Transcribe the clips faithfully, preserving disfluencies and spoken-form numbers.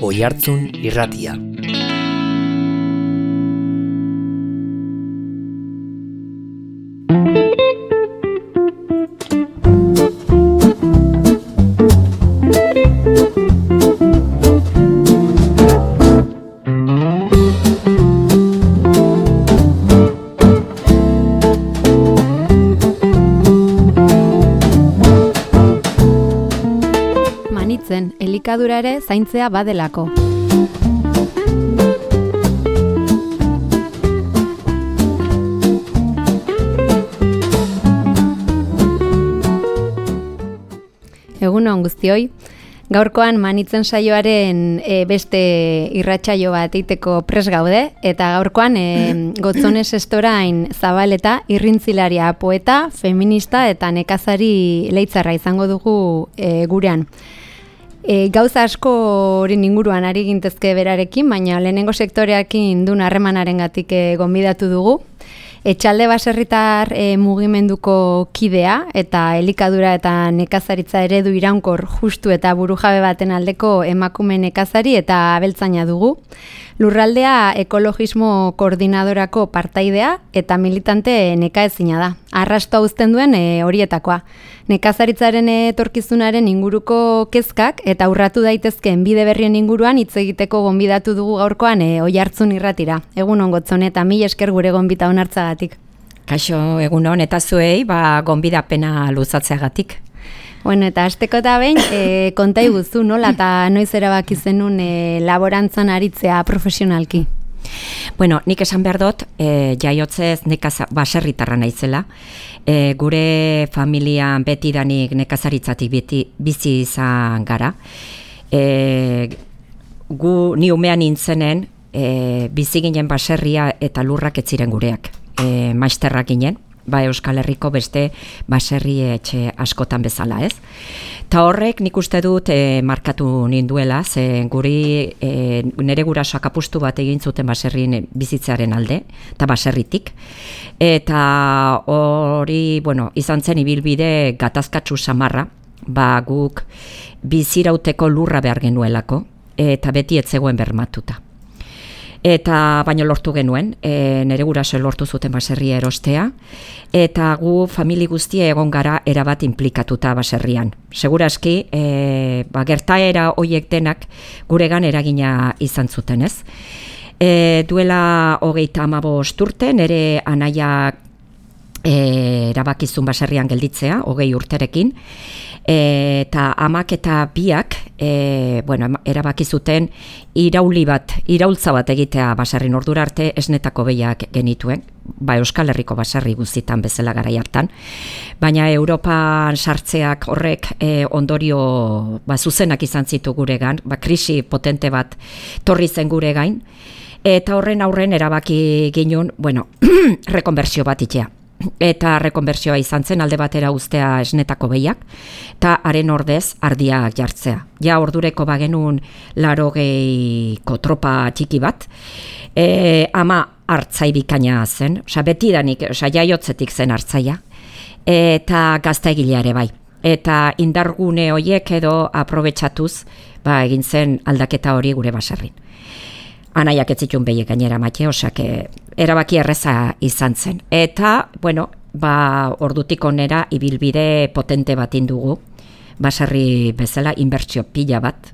Oihartzun Irratia. Elikadura ere zaintzea badelako. Egun on guztioi, gaurkoan Manitzen saioaren e, beste irratsaio bat eiteko pres gaude, eta gaurkoan e, Gotzones Estorain Zabaleta, irrintzilaria, poeta, feminista eta nekazari leitzarra izango dugu e, gurean. E, gauza askoren inguruan ari gintezke berarekin, baina lehenengo sektoreakin duen harremanarengatik e, gonbidatu dugu. Etxalde baserritar e, mugimenduko kidea eta elikadura eta nekazaritza eredu iraunkor justu eta burujabe baten aldeko emakume nekazari eta abeltzaina dugu. Lurraldea ekologismo koordinadorako partaidea eta militante nekaezina da. Arrastoa uzten duen e, horietakoa. Nekazaritzaren etorkizunaren inguruko kezkak eta urratu daitezkeen bide berrien inguruan hitz egiteko gonbidatu dugu gaurkoan e, Oihartzun Irratira. Egun on Gotzone eta mil esker gure gonbita onartzagatik. Kaixo, egun on eta zuei, ba gonbidapena luzatzeagatik. Bueno, eta hasteko eta behin, e, konta iguzu, nola eta noiz erabaki zenun e, laborantzan aritzea profesionalki? Bueno, nik esan behar dut, e, jaiotzez nekaza, baserritarra naizela. E, gure familian betidanik nekazaritzatik beti, bizi izan gara. E, gu ni umean nintzenen, e, bizi ginen baserria eta lurrak ez ziren gureak. E, maisterrak ginen. Ba Euskal Herriko beste baserri etxe askotan bezala, ez? Ta horrek nik uste dut e, markatu ninduela, ze guri e, nire gurasoak apustu bat egin zuten baserrien bizitzearen alde, eta baserritik. Eta hori, bueno, izan zen ibilbide gatazkatsu samarra, ba guk bizirauteko lurra behar genuelako, eta beti ez zegoen bermatuta. Eta baino lortu genuen, e, nire guraso lortu zuten baserria erostea, eta gu famili guztia egon gara erabat inplikatuta baserrian. Segurazki, e, ba, gertaera hoiek denak guregan eragina izan zuten, ez? E, duela hogeita hamabost urte, nire anaia e, erabakizun baserrian gelditzea, hogei urterekin, E, eta amak eta biak e, bueno, erabaki zuten irauli bat, iraultza bat egitea baserrin ordura arte esnetako behiak genituen, ba Euskal Herriko baserri guztietan bezala garai hartan, baina Europan sartzeak horrek e, ondorio ba, zuzenak izan zitu guregan, ba, krisi potente bat torri zen gure gain, eta horren aurren erabaki ginun, bueno, rekonbertsio bat itea. Eta rekonbertsioa izan zen alde batera uztea esnetako behiak, eta haren ordez ardiak jartzea. Ja ordureko bagenun larogeiko tropa txiki bat, e, ama hartzai bikaina zen, oza, betidanik, oza, jaiotzetik zen hartzaia, eta gaztaegilea ere bai. Eta indargune horiek edo aprobetxatuz, ba, egin zen aldaketa hori gure baserrin. Anaiak ez zituen behiek gainera maite, osak erabaki erreza izan zen. Eta, bueno, ba, ordutik onera ibilbide potente bat indugu, baserri bezala, inbertsio pila bat.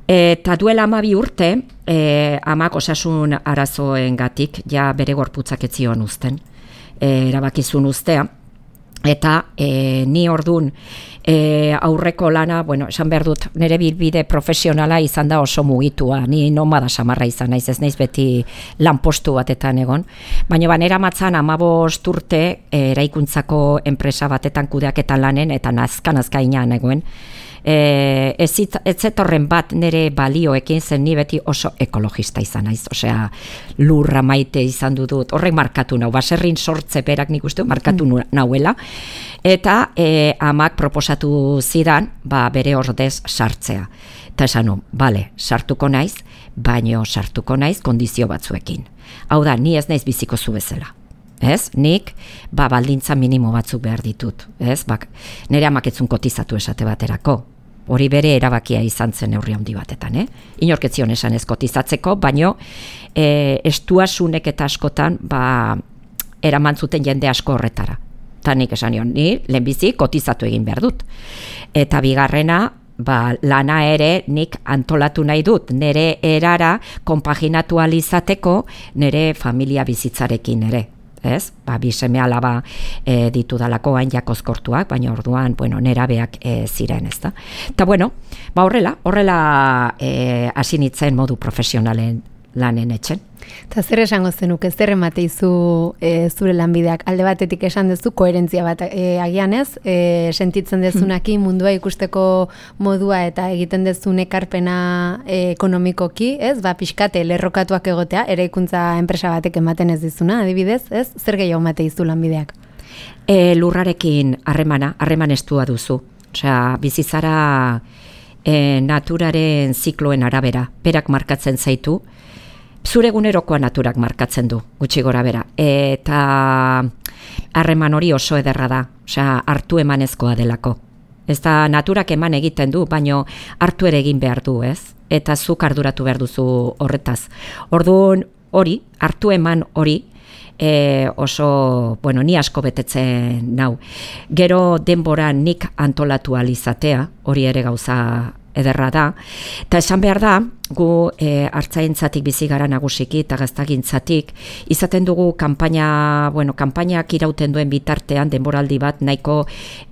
Eta duela amabi urte, e, amak osasun arazoengatik, ja bere gorputzak ez zion uzten, e, erabakizun uztea. Eta e, ni ordun e, aurreko lana, bueno, esan behar dut, nire bilbide profesionala izan da oso mugitua, ni nomada samarra izan naiz, ez naiz beti lanpostu batetan egon, baina banera matzan hamabost urte e, eraikuntzako enpresa batetan kudeaketan lanen, eta nazka-nazka inan egoen, E, ez, ez zetorren bat nire balioekin zen ni beti oso ekologista izan naiz, osea lurra maite izan dut, horrek markatu nau, baserrin sortze berak nik uste markatu mm. nauela, eta e, amak proposatu zidan, ba, bere ordez sartzea. Eta esan nu, bale, sartuko naiz, baino sartuko naiz kondizio batzuekin. Hau da, ni ez naiz biziko zu bezala. Ez? Nik, ba, baldintza minimo batzuk behar ditut. Ez? Ba, nire amak etzun kotizatu esate baterako. hori bere erabakia izan zen neurri handi batetan, eh? Inork ez zion esan ez kotizatzeko, baino e, estuasunek eta askotan ba, eraman zuten jende asko horretara. Eta nik esan nion, ni lehenbizi kotizatu egin behar dut. Eta bigarrena, ba, lana ere nik antolatu nahi dut, nire erara konpaginatu alizateko nire familia bizitzarekin ere. Ez? Ba, bi seme alaba e, ditudalako hain jakozkortuak, baina orduan, bueno, nerabeak e, ziren, ez da. Eta bueno, ba horrela, horrela e, hasi nintzen modu profesionalen lanen etxen. Eta zer esango zenuke, zer emateizu e, zure lanbideak? Alde batetik esan duzu, koherentzia bat e, agian ez, e, sentitzen dezunaki mundua ikusteko modua eta egiten dezun ekarpena e, ekonomikoki, ez? Ba, pixkate, lerrokatuak egotea, eraikuntza enpresa batek ematen ez dizuna, adibidez, ez? Zer gehiago emateizu lanbideak? E, lurrarekin harremana, harreman estua duzu. Osea, bizizara e, naturaren zikloen arabera, berak markatzen zaitu, zure egunerokoa naturak markatzen du, gutxi gora bera. Eta harreman hori oso ederra da, osea, hartu emanezkoa delako. Ez da naturak eman egiten du, baino hartu ere egin behar du, ez? Eta zuk arduratu behar duzu horretaz. Orduan hori, hartu eman hori, e, oso, bueno, ni asko betetzen nau. Gero denbora nik antolatu alizatea, hori ere gauza ederra da, eta esan behar da, gu e, hartzaintzatik bizi gara nagusiki eta gaztagintzatik, izaten dugu kanpaina, bueno, kanpainak irauten duen bitartean, denboraldi bat nahiko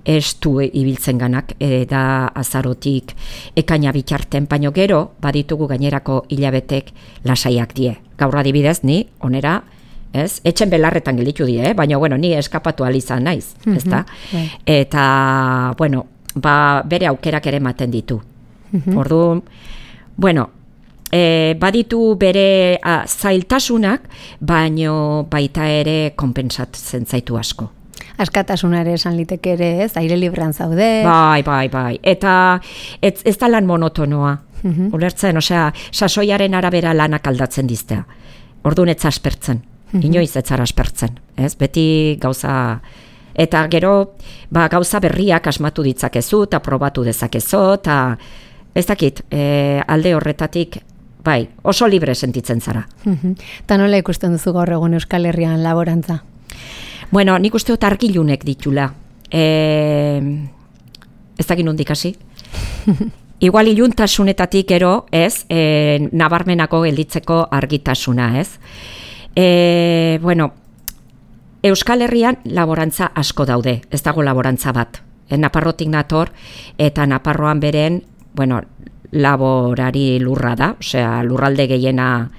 estu ibiltzen ganak, e, da azarotik ekaina bitarten, baino gero, baditugu gainerako hilabetek lasaiak die. Gaur adibidez, ni, onera, ez? Etxen belarretan gelditu die, eh? Baina, bueno, ni eskapatu alizan naiz, mm-hmm. ezta? Yeah. Eta, bueno, ba, bere aukerak ere ematen ditu. Mm-hmm. Orduan, bueno, e, baditu bere a, zailtasunak, baino baita ere konpentsatzen zaitu asko. Askatasuna ere esan liteke ere, ez? Aire librean zaude. Bai, bai, bai. Eta ez, ez da lan monotonoa. Mm-hmm. Ulertzen, osea, sasoiaren arabera lanak aldatzen diztea. Orduan ez aspertzen. Mm-hmm. Inoiz ez zara aspertzen. Ez? Beti gauza... Eta gero, ba, gauza berriak asmatu ditzakezu, eta probatu dezakezu, eta... Ez dakit, e, alde horretatik, bai, oso libre sentitzen zara. Eta nola ikusten duzu gaur egun Euskal Herrian laborantza? Bueno, nik uste dut argilunek ditula. E, ez dakit nondik hasi? Igual iluntasunetatik ero, ez, e, nabarmenako gelditzeko argitasuna, ez? E, bueno, Euskal Herrian laborantza asko daude, ez dago laborantza bat. E, Naparrotik nator, eta Naparroan beren, bueno, laborari lurra da, osea, lurralde gehiena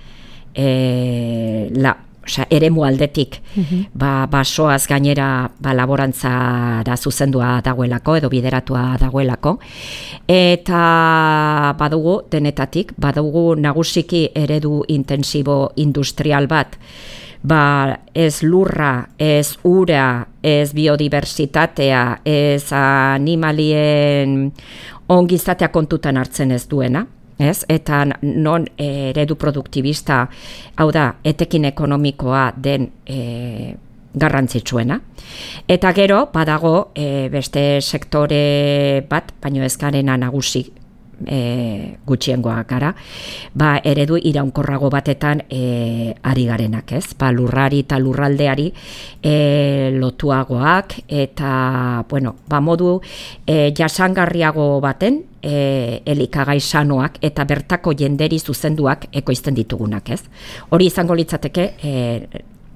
e, la, osea, eremu aldetik, mm-hmm. ba, basoaz gainera ba, laborantzara zuzendua dagoelako, edo bideratua dagoelako, eta badugu denetatik, badugu nagusiki eredu intensibo industrial bat, ba, ez lurra, ez ura, ez biodiversitatea, ez animalien ongizatea kontutan hartzen ez duena, ez? Eta non eredu produktibista, hau da, etekin ekonomikoa den e, garrantzitsuena. Eta gero, badago e, beste sektore bat, baino ez garena nagusi, E, gutxiengoak gara, ba, eredu iraunkorrago batetan e, ari garenak, ez? Ba, lurrari eta lurraldeari e, lotuagoak eta, bueno, ba, modu e, jasangarriago baten e, elikagai sanoak eta bertako jenderi zuzenduak ekoizten ditugunak, ez? Hori izango litzateke e,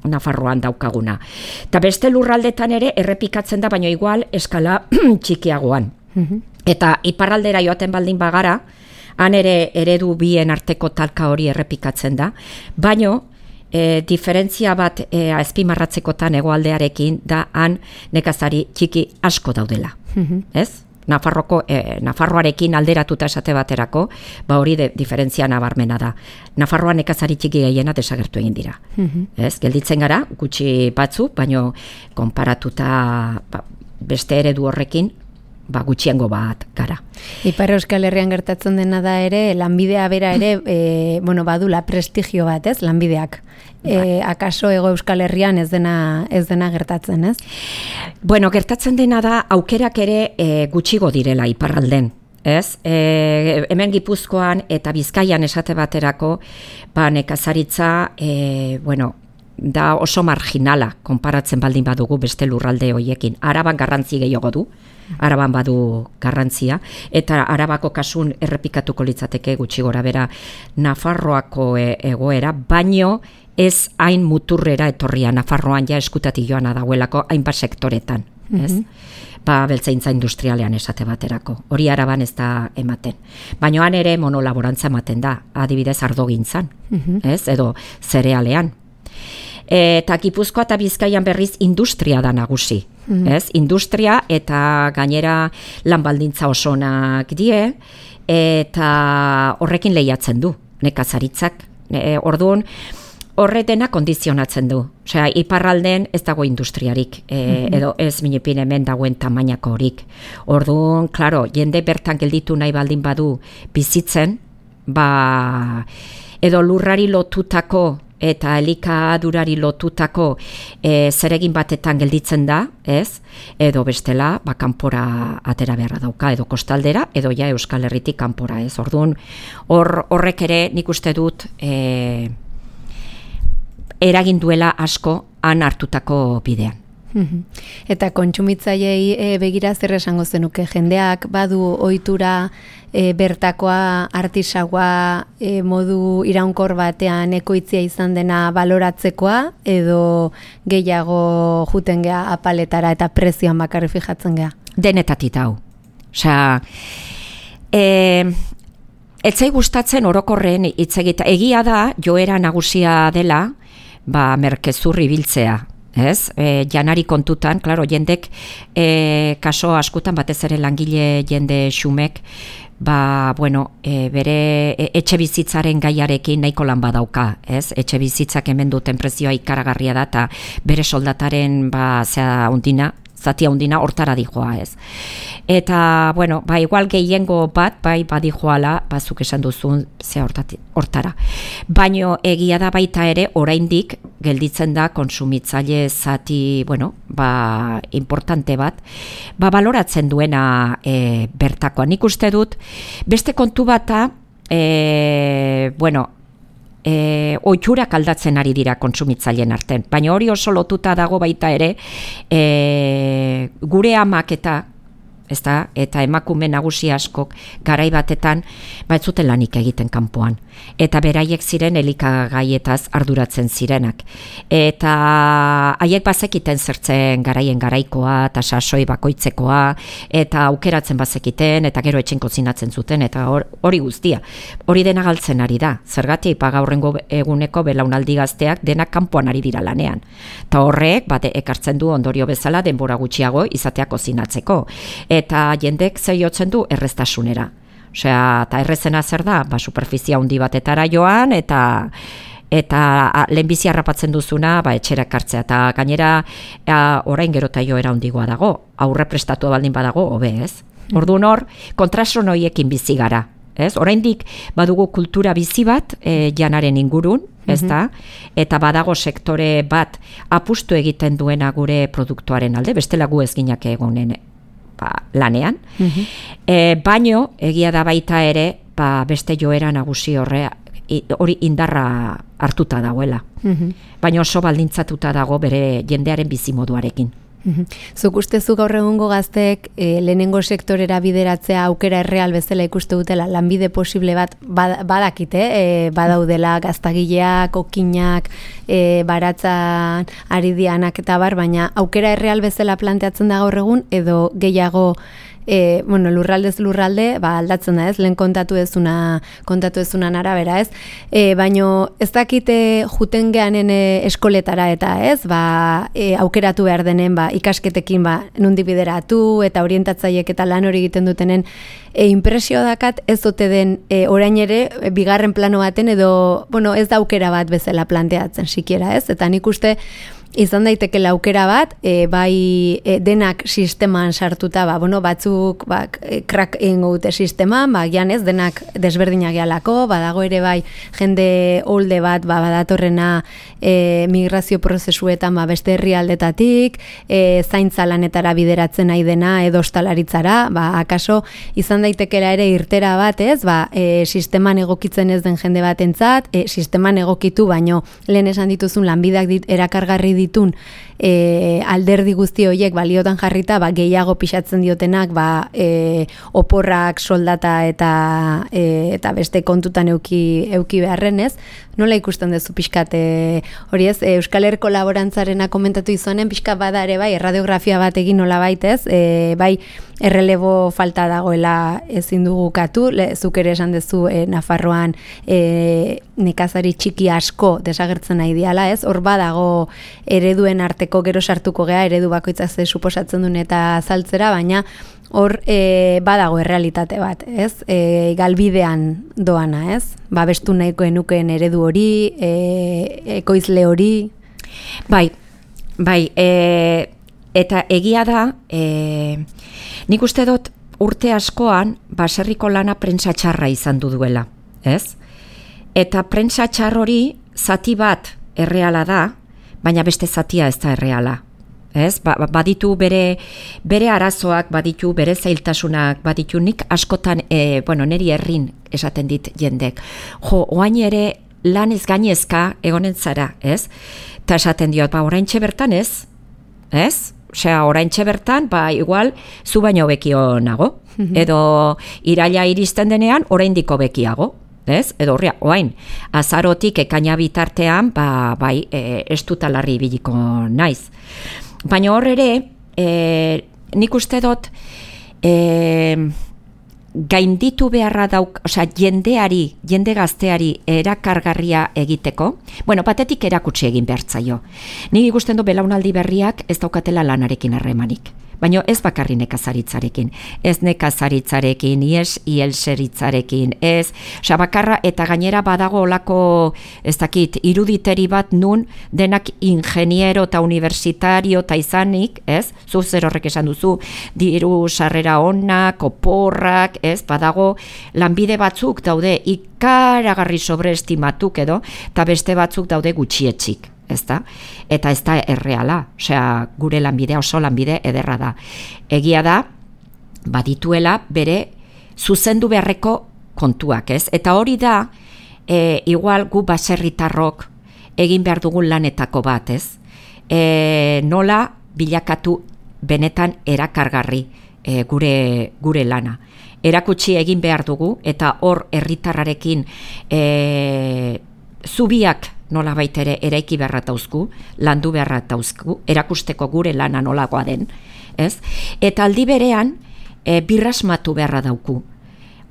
Nafarroan daukaguna. Eta beste lurraldetan ere errepikatzen da, baina igual eskala txikiagoan. Mm-hmm. Eta iparraldera joaten baldin bagara, han ere eredu bien arteko talka hori errepikatzen da, baino e, diferentzia bat e, azpimarratzekotan hegoaldearekin da han nekazari txiki asko daudela. Mm-hmm. Ez? Nafarroko, e, Nafarroarekin alderatuta esate baterako, ba hori de, diferentzia nabarmena da. Nafarroan nekazari txiki gehiena desagertu egin dira. Mm-hmm. Ez? Gelditzen gara, gutxi batzu, baino konparatuta ba, beste eredu horrekin, ba, gutxiengo bat gara. Ipar Euskal Herrian gertatzen dena da ere, lanbidea bera ere, e, bueno, badula prestigio bat, ez, lanbideak. E, akaso Hego Euskal Herrian ez dena, ez dena gertatzen, ez? Bueno, gertatzen dena da, aukerak ere e, gutxigo direla iparralden. ez? E, hemen Gipuzkoan eta Bizkaian esate baterako, ba, nekazaritza, e, bueno, da oso marginala, konparatzen baldin badugu beste lurralde hoiekin. Araban garrantzi gehiago du, Araban badu garrantzia, eta Arabako kasun errepikatuko litzateke gutxi gora bera Nafarroako egoera, baino ez hain muturrera etorria, Nafarroan ja eskutatik joana dagoelako hainbat sektoretan, ez? Mm-hmm. Ba, beltzaintza industrialean esate baterako. Hori Araban ez da ematen. Baina han ere monolaborantza ematen da, adibidez ardogintzan, mm-hmm. ez? Edo zerealean. Eta Gipuzkoa eta Bizkaian berriz industria da nagusi, mm-hmm. ez? Industria eta gainera lanbaldintza osonak die, eta horrekin lehiatzen du, nekazaritzak. E, orduan, horre dena kondizionatzen du. Osea, iparralden ez dago industriarik, e, mm-hmm. edo ez minipin hemen dagoen tamainako horik. Orduan, klaro, jende bertan gelditu nahi baldin badu bizitzen, ba, edo lurrari lotutako eta elikadurari lotutako e, zeregin batetan gelditzen da, ez? Edo bestela, ba, kanpora atera beharra dauka, edo kostaldera, edo ja Euskal Herritik kanpora, ez? Orduan, hor, horrek ere nik uste dut e, eragin duela asko han hartutako bidean. Eta kontsumitzaileei e, begira zer esango zenuke, jendeak badu ohitura e, bertakoa artisaua e, modu iraunkor batean ekoitzia izan dena baloratzekoa, edo gehiago juten gea apaletara eta prezioan bakarri fijatzen gea? Denetatik hau. Osea, e, etzai gustatzen orokorren hitz egita. Egia da joera nagusia dela, ba merkezurri biltzea. Ez, e, janari kontutan, klaro, jendek e, kaso askutan batez ere langile jende xumek, ba, bueno, e, bere e, etxe bizitzaren gaiarekin nahiko lan badauka, ez? Etxe bizitzak hemen duten prezioa ikaragarria da, eta bere soldataren, ba, zea undina, zatia undina hortara dijoa, ez? Eta, bueno, ba, igual gehiengo bat, bai, badijoala, bazuk esan duzun, zea hortara. Baino, egia da baita ere, oraindik gelditzen da konsumitzaile zati, bueno, ba, importante bat, ba, baloratzen duena e, bertakoa. Nik uste dut, beste kontu bata, e, bueno, E, oiturak aldatzen ari dira kontsumitzaileen artean. Baina hori oso lotuta dago baita ere, e, gure amak eta, ezta, eta emakume nagusi askok garai batetan ba ez zuten lanik egiten kanpoan. Eta beraiek ziren elikagaietaz arduratzen zirenak. Eta haiek bazekiten zertzen garaien garaikoa, eta sasoi bakoitzekoa, eta aukeratzen bazekiten, eta gero etxen kozinatzen zuten, eta hori guztia. Hori dena galtzen ari da. Zergatik, ba, gaurrengo eguneko belaunaldi gazteak denak kanpoan ari dira lanean. Eta horrek, bat ekartzen du ondorio bezala denbora gutxiago izatea kozinatzeko. Eta jendek zeiotzen du erreztasunera. Osea, eta errezena zer da, ba, superfizia handi batetara joan, eta eta lehenbizi harrapatzen duzuna, ba, etxera ekartzea. Eta gainera, a, orain gerota joera handigoa dago, aurre prestatu baldin badago, hobe, ez? Orduan hor, kontrason horiekin bizi gara. Ez? Oraindik badugu kultura bizi bat e, janaren ingurun, ez da? Eta badago sektore bat apustu egiten duena gure produktuaren alde, bestela gu ez ginak egonen ba, lanean. Mm-hmm. E, baino, egia da baita ere, ba, beste joera nagusi horre, hori indarra hartuta dagoela. Mm-hmm. Baina oso baldintzatuta dago bere jendearen bizimoduarekin. Zuk ustezu gaur egungo gazteek e, lehenengo sektorera bideratzea aukera erreal bezala ikuste dutela, lanbide posible bat badakite, e, badaudela gaztagileak, okinak, e, baratzan ari dianak eta bar, baina aukera erreal bezala planteatzen da gaur egun, edo gehiago E, bueno, lurraldez lurralde, ba, aldatzen da ez, lehen kontatu ezuna, kontatu ezunan arabera ez, e, baino ez dakite juten geanen e, eskoletara eta ez, ba, e, aukeratu behar denen, ba, ikasketekin ba, nundi bideratu eta orientatzaiek eta lan hori egiten dutenen, e, impresio dakat ez ote den e, orain ere, e, bigarren plano baten edo, bueno, ez da aukera bat bezala planteatzen sikiera ez, eta nik uste, izan daiteke aukera bat, e, bai e, denak sisteman sartuta, ba, bueno, batzuk ba, krak egingo dute sisteman, ba, gian ez, denak desberdinak gehalako, badago ere bai jende holde bat, ba, badatorrena e, migrazio prozesuetan ba, beste herrialdetatik, e, zaintza lanetara bideratzen nahi dena, edo ostalaritzara, ba, akaso izan daitekela ere irtera bat, ez, ba, e, sisteman egokitzen ez den jende batentzat, e, sisteman egokitu, baino lehen esan dituzun lanbideak dit, erakargarri ditun e, alderdi guzti horiek baliotan jarrita, ba, gehiago pixatzen diotenak, ba, e, oporrak, soldata eta e, eta beste kontutan euki, euki beharren, ez? Nola ikusten duzu pixkat, e, hori ez, e, Euskal Herriko laborantzarena komentatu izonen, pixkat bada ere bai, erradiografia bat egin nola baitez, e, bai, errelebo falta dagoela ezin dugu katu, le, zuk ere esan duzu e, Nafarroan e, nekazari txiki asko desagertzen nahi diala, ez? Hor badago ereduen arteko gero sartuko gea, eredu bakoitzak ze suposatzen duen eta azaltzera, baina hor e, badago errealitate bat, ez? E, galbidean doana, ez? Babestu nahiko enukeen eredu hori, e, ekoizle hori. Bai, bai, e, eta egia da, e, nik uste dut urte askoan baserriko lana prentsa txarra izan du duela, ez? Eta prentsa txar hori zati bat erreala da, baina beste zatia ez da erreala. Ez? Ba, baditu bere, bere arazoak, baditu bere zailtasunak, baditu nik askotan, e, bueno, neri herrin esaten dit jendek. Jo, oain ere lan ez gainezka egonen zara, ez? Ta esaten diot, ba, oraintxe bertan ez, ez? Osea, oraintxe bertan, ba, igual, zu baino bekio nago. Edo iraila iristen denean, oraindiko bekiago. Ez? Edo horria, oain, azarotik ekaina bitartean, ba, bai, e, estutalarri biliko naiz. Baina hor ere, e, nik uste dut, e, gainditu beharra dauk, osea, jendeari, jende gazteari erakargarria egiteko, bueno, batetik erakutsi egin behartzaio. Nik ikusten du belaunaldi berriak ez daukatela lanarekin harremanik. Baina ez bakarri nekazaritzarekin, ez nekazaritzarekin, ez ielseritzarekin, ez, osea, bakarra eta gainera badago olako, ez dakit, iruditeri bat nun denak ingeniero eta universitario eta izanik, ez, zu zer horrek esan duzu, diru sarrera onak, oporrak, ez, badago lanbide batzuk daude ikaragarri sobreestimatuk edo, eta beste batzuk daude gutxietxik. Ezta? Eta ez da erreala, osea, gure lanbidea oso lanbide ederra da. Egia da, badituela bere zuzendu beharreko kontuak, ez? Eta hori da, e, igual gu baserritarrok egin behar dugun lanetako bat, ez? E, nola bilakatu benetan erakargarri e, gure, gure lana. Erakutsi egin behar dugu, eta hor herritarrarekin e, zubiak nola baitere eraiki beharra tauzku, landu beharra tauzku, erakusteko gure lana nolakoa den, ez? Eta aldi berean, e, birrasmatu beharra dauku.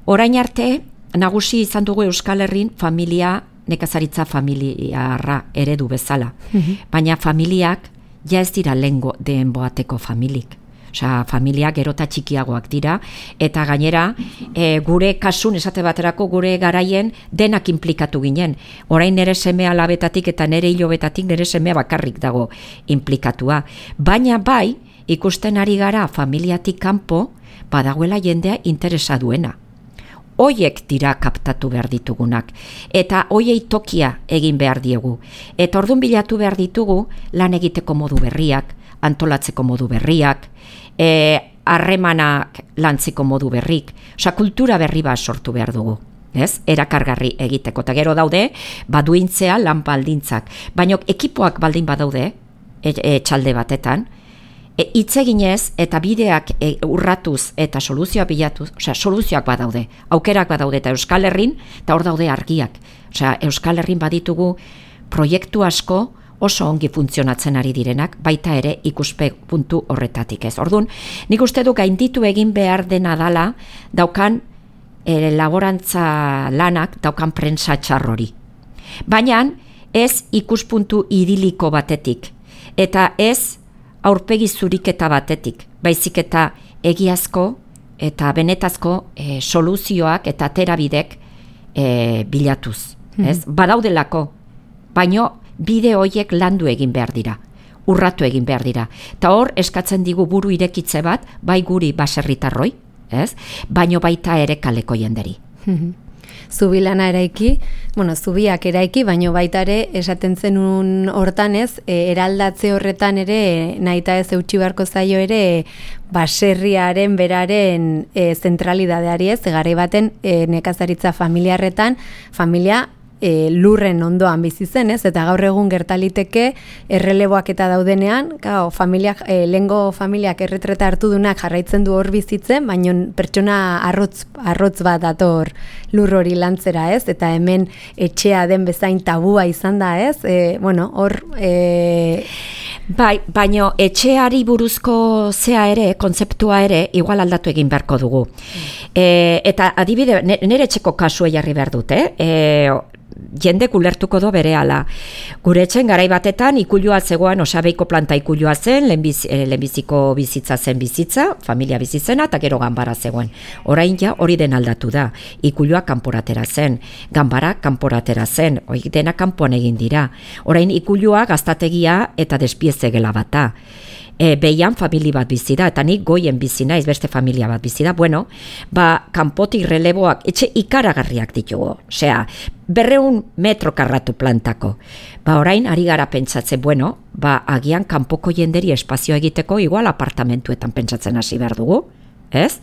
Orain arte, nagusi izan dugu Euskal Herrin familia, nekazaritza familiarra eredu bezala. Mm-hmm. Baina familiak ja ez dira lengo den boateko familik. Osea, familia gerota txikiagoak dira, eta gainera e, gure kasun esate baterako gure garaien denak inplikatu ginen. Orain nere seme alabetatik eta nere hilobetatik nere seme bakarrik dago inplikatua. Baina bai, ikusten ari gara familiatik kanpo, badagoela jendea interesa duena. Hoiek dira kaptatu behar ditugunak, eta hoiei tokia egin behar diegu. Eta ordun bilatu behar ditugu lan egiteko modu berriak, antolatzeko modu berriak, harremanak lantziko modu berrik, osea, kultura berri bat sortu behar dugu, ez? Erakargarri egiteko, eta gero daude, baduintzea lan baldintzak, baina ekipoak baldin badaude, etxalde batetan, hitz eginez eta bideak e, urratuz eta soluzioak bilatuz, osea, soluzioak badaude, aukerak badaude, eta Euskal Herrin, eta hor daude argiak, osea, Euskal Herrin baditugu proiektu asko, oso ongi funtzionatzen ari direnak, baita ere ikuspe puntu horretatik ez. Orduan, nik uste du gainditu egin behar dena dala, daukan e, laborantza lanak, daukan prentsa txarrori. Baina ez ikuspuntu idiliko batetik, eta ez aurpegi zuriketa batetik, baizik eta egiazko eta benetazko e, soluzioak eta terabidek e, bilatuz. Ez? Mm. Badaudelako, baino bide horiek landu egin behar dira. urratu egin behar dira. Eta hor, eskatzen digu buru irekitze bat, bai guri baserritarroi, ez? Baino baita ere kaleko jenderi. Zubilana eraiki, bueno, zubiak eraiki, baino baita ere esaten zenun hortan ez, e, eraldatze horretan ere, nahita ez eutxi beharko zaio ere, baserriaren beraren e, zentralidadeari ez, garai baten e, nekazaritza familiarretan, familia E, lurren ondoan bizi zen, ez? Eta gaur egun gertaliteke erreleboak eta daudenean, gau, familiak, e, lengo familiak erretreta hartu dunak jarraitzen du hor bizitzen, baina pertsona arrotz, arrotz bat dator lur hori lantzera, ez? Eta hemen etxea den bezain tabua izan da, ez? E, bueno, hor... E... Bai, baino etxeari buruzko zea ere, kontzeptua ere, igual aldatu egin beharko dugu. E, eta adibide, nire etxeko kasua jarri behar dute, eh? E, jende ulertuko do berehala. Gure etxen garai batetan ikulua zegoen, osabeiko planta ikulua zen, lehenbiz, eh, lehenbiziko bizitza zen bizitza, familia bizitzena, eta gero ganbara zegoen. Orain ja hori den aldatu da. Ikulua kanporatera zen, ganbara kanporatera zen, hori dena kanpoan egin dira. Orain ikulua gaztategia eta despieze gela bata. E, behian famili bat bizi da, eta nik goien bizi naiz beste familia bat bizi da. Bueno, ba, kanpotik releboak, etxe ikaragarriak ditugu. Osea, berreun metro karratu plantako. Ba, orain, ari gara pentsatzen, bueno, ba, agian kanpoko jenderi espazio egiteko, igual apartamentuetan pentsatzen hasi behar dugu, ez?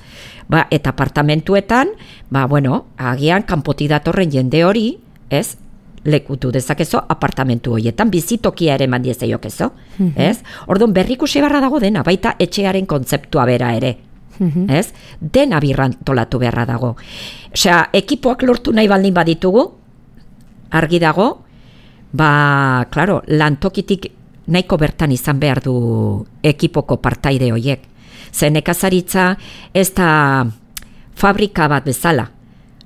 Ba, eta apartamentuetan, ba, bueno, agian kanpotik datorren jende hori, ez? Lekutu dezakezo apartamentu horietan, bizitokia ere mandieze jokezo, mm-hmm. ez? Orduan berrikusi beharra dago dena, baita etxearen kontzeptua bera ere, mm-hmm. ez? Dena birrantolatu beharra dago. Osea, ekipoak lortu nahi baldin baditugu, argi dago, ba, klaro, lantokitik nahiko bertan izan behar du ekipoko partaide horiek. Ze nekazaritza ez da fabrika bat bezala.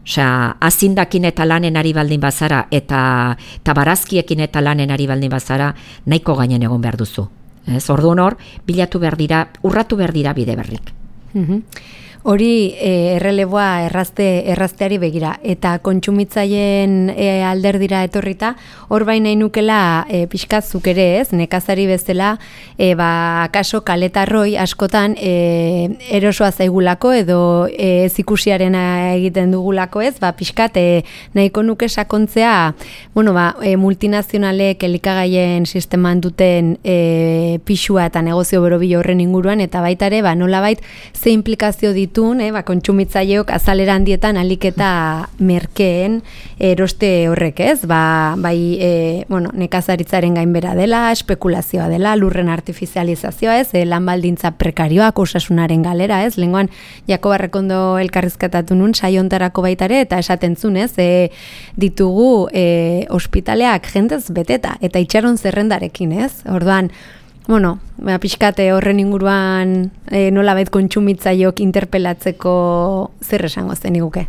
Osea, azindakin eta lanen ari baldin bazara eta tabarazkiekin eta lanen ari baldin bazara nahiko gainen egon behar duzu. Ez, orduan hor, bilatu behar dira, urratu behar dira bide berrik. Mm-hmm. Hori e, erreleboa errazte, errazteari begira, eta kontsumitzaien e, alderdira etorrita, hor baina inukela e, pixkatzuk ere ez, nekazari bezala, e, ba, akaso kaletarroi askotan e, erosoa zaigulako edo e, ez ikusiarena egiten dugulako ez, ba, pixkat e, nahiko nuke sakontzea, bueno, ba, e, multinazionalek elikagaien sisteman duten e, pixua eta negozio berobilo horren inguruan, eta baita ere, ba, nolabait ze implikazio ditu Eh, ba, kontsumitzaileok azalera handietan alik eta merkeen eroste horrek ez, ba, bai e, bueno, nekazaritzaren gainbera dela, espekulazioa dela, lurren artifizializazioa ez, e, lan baldintza prekarioak, osasunaren galera ez, lengoan Jakob Arrekondo elkarrizketatu nun saiontarako baitare eta esaten zun ez, e, ditugu e, ospitaleak jendez beteta eta itxaron zerrendarekin ez, orduan, bueno, ba, pixkate horren inguruan e, nolabait kontsumitzaileok interpelatzeko zer esango zen iguke?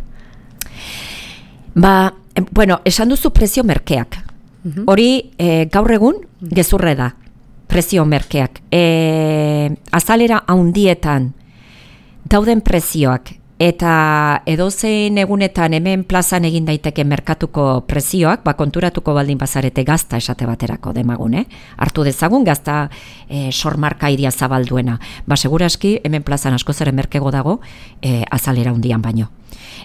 Ba, bueno, esan duzu prezio merkeak. Uh-huh. Hori e, gaur egun gezurre da, prezio merkeak. E, azalera handietan dauden prezioak eta edozein egunetan hemen plazan egin daiteke merkatuko prezioak, ba, konturatuko baldin bazarete gazta esate baterako demagune, hartu dezagun gazta e, sormarka iria zabalduena. Ba, seguraski hemen plazan asko zeren merkego dago e, azalera hundian baino.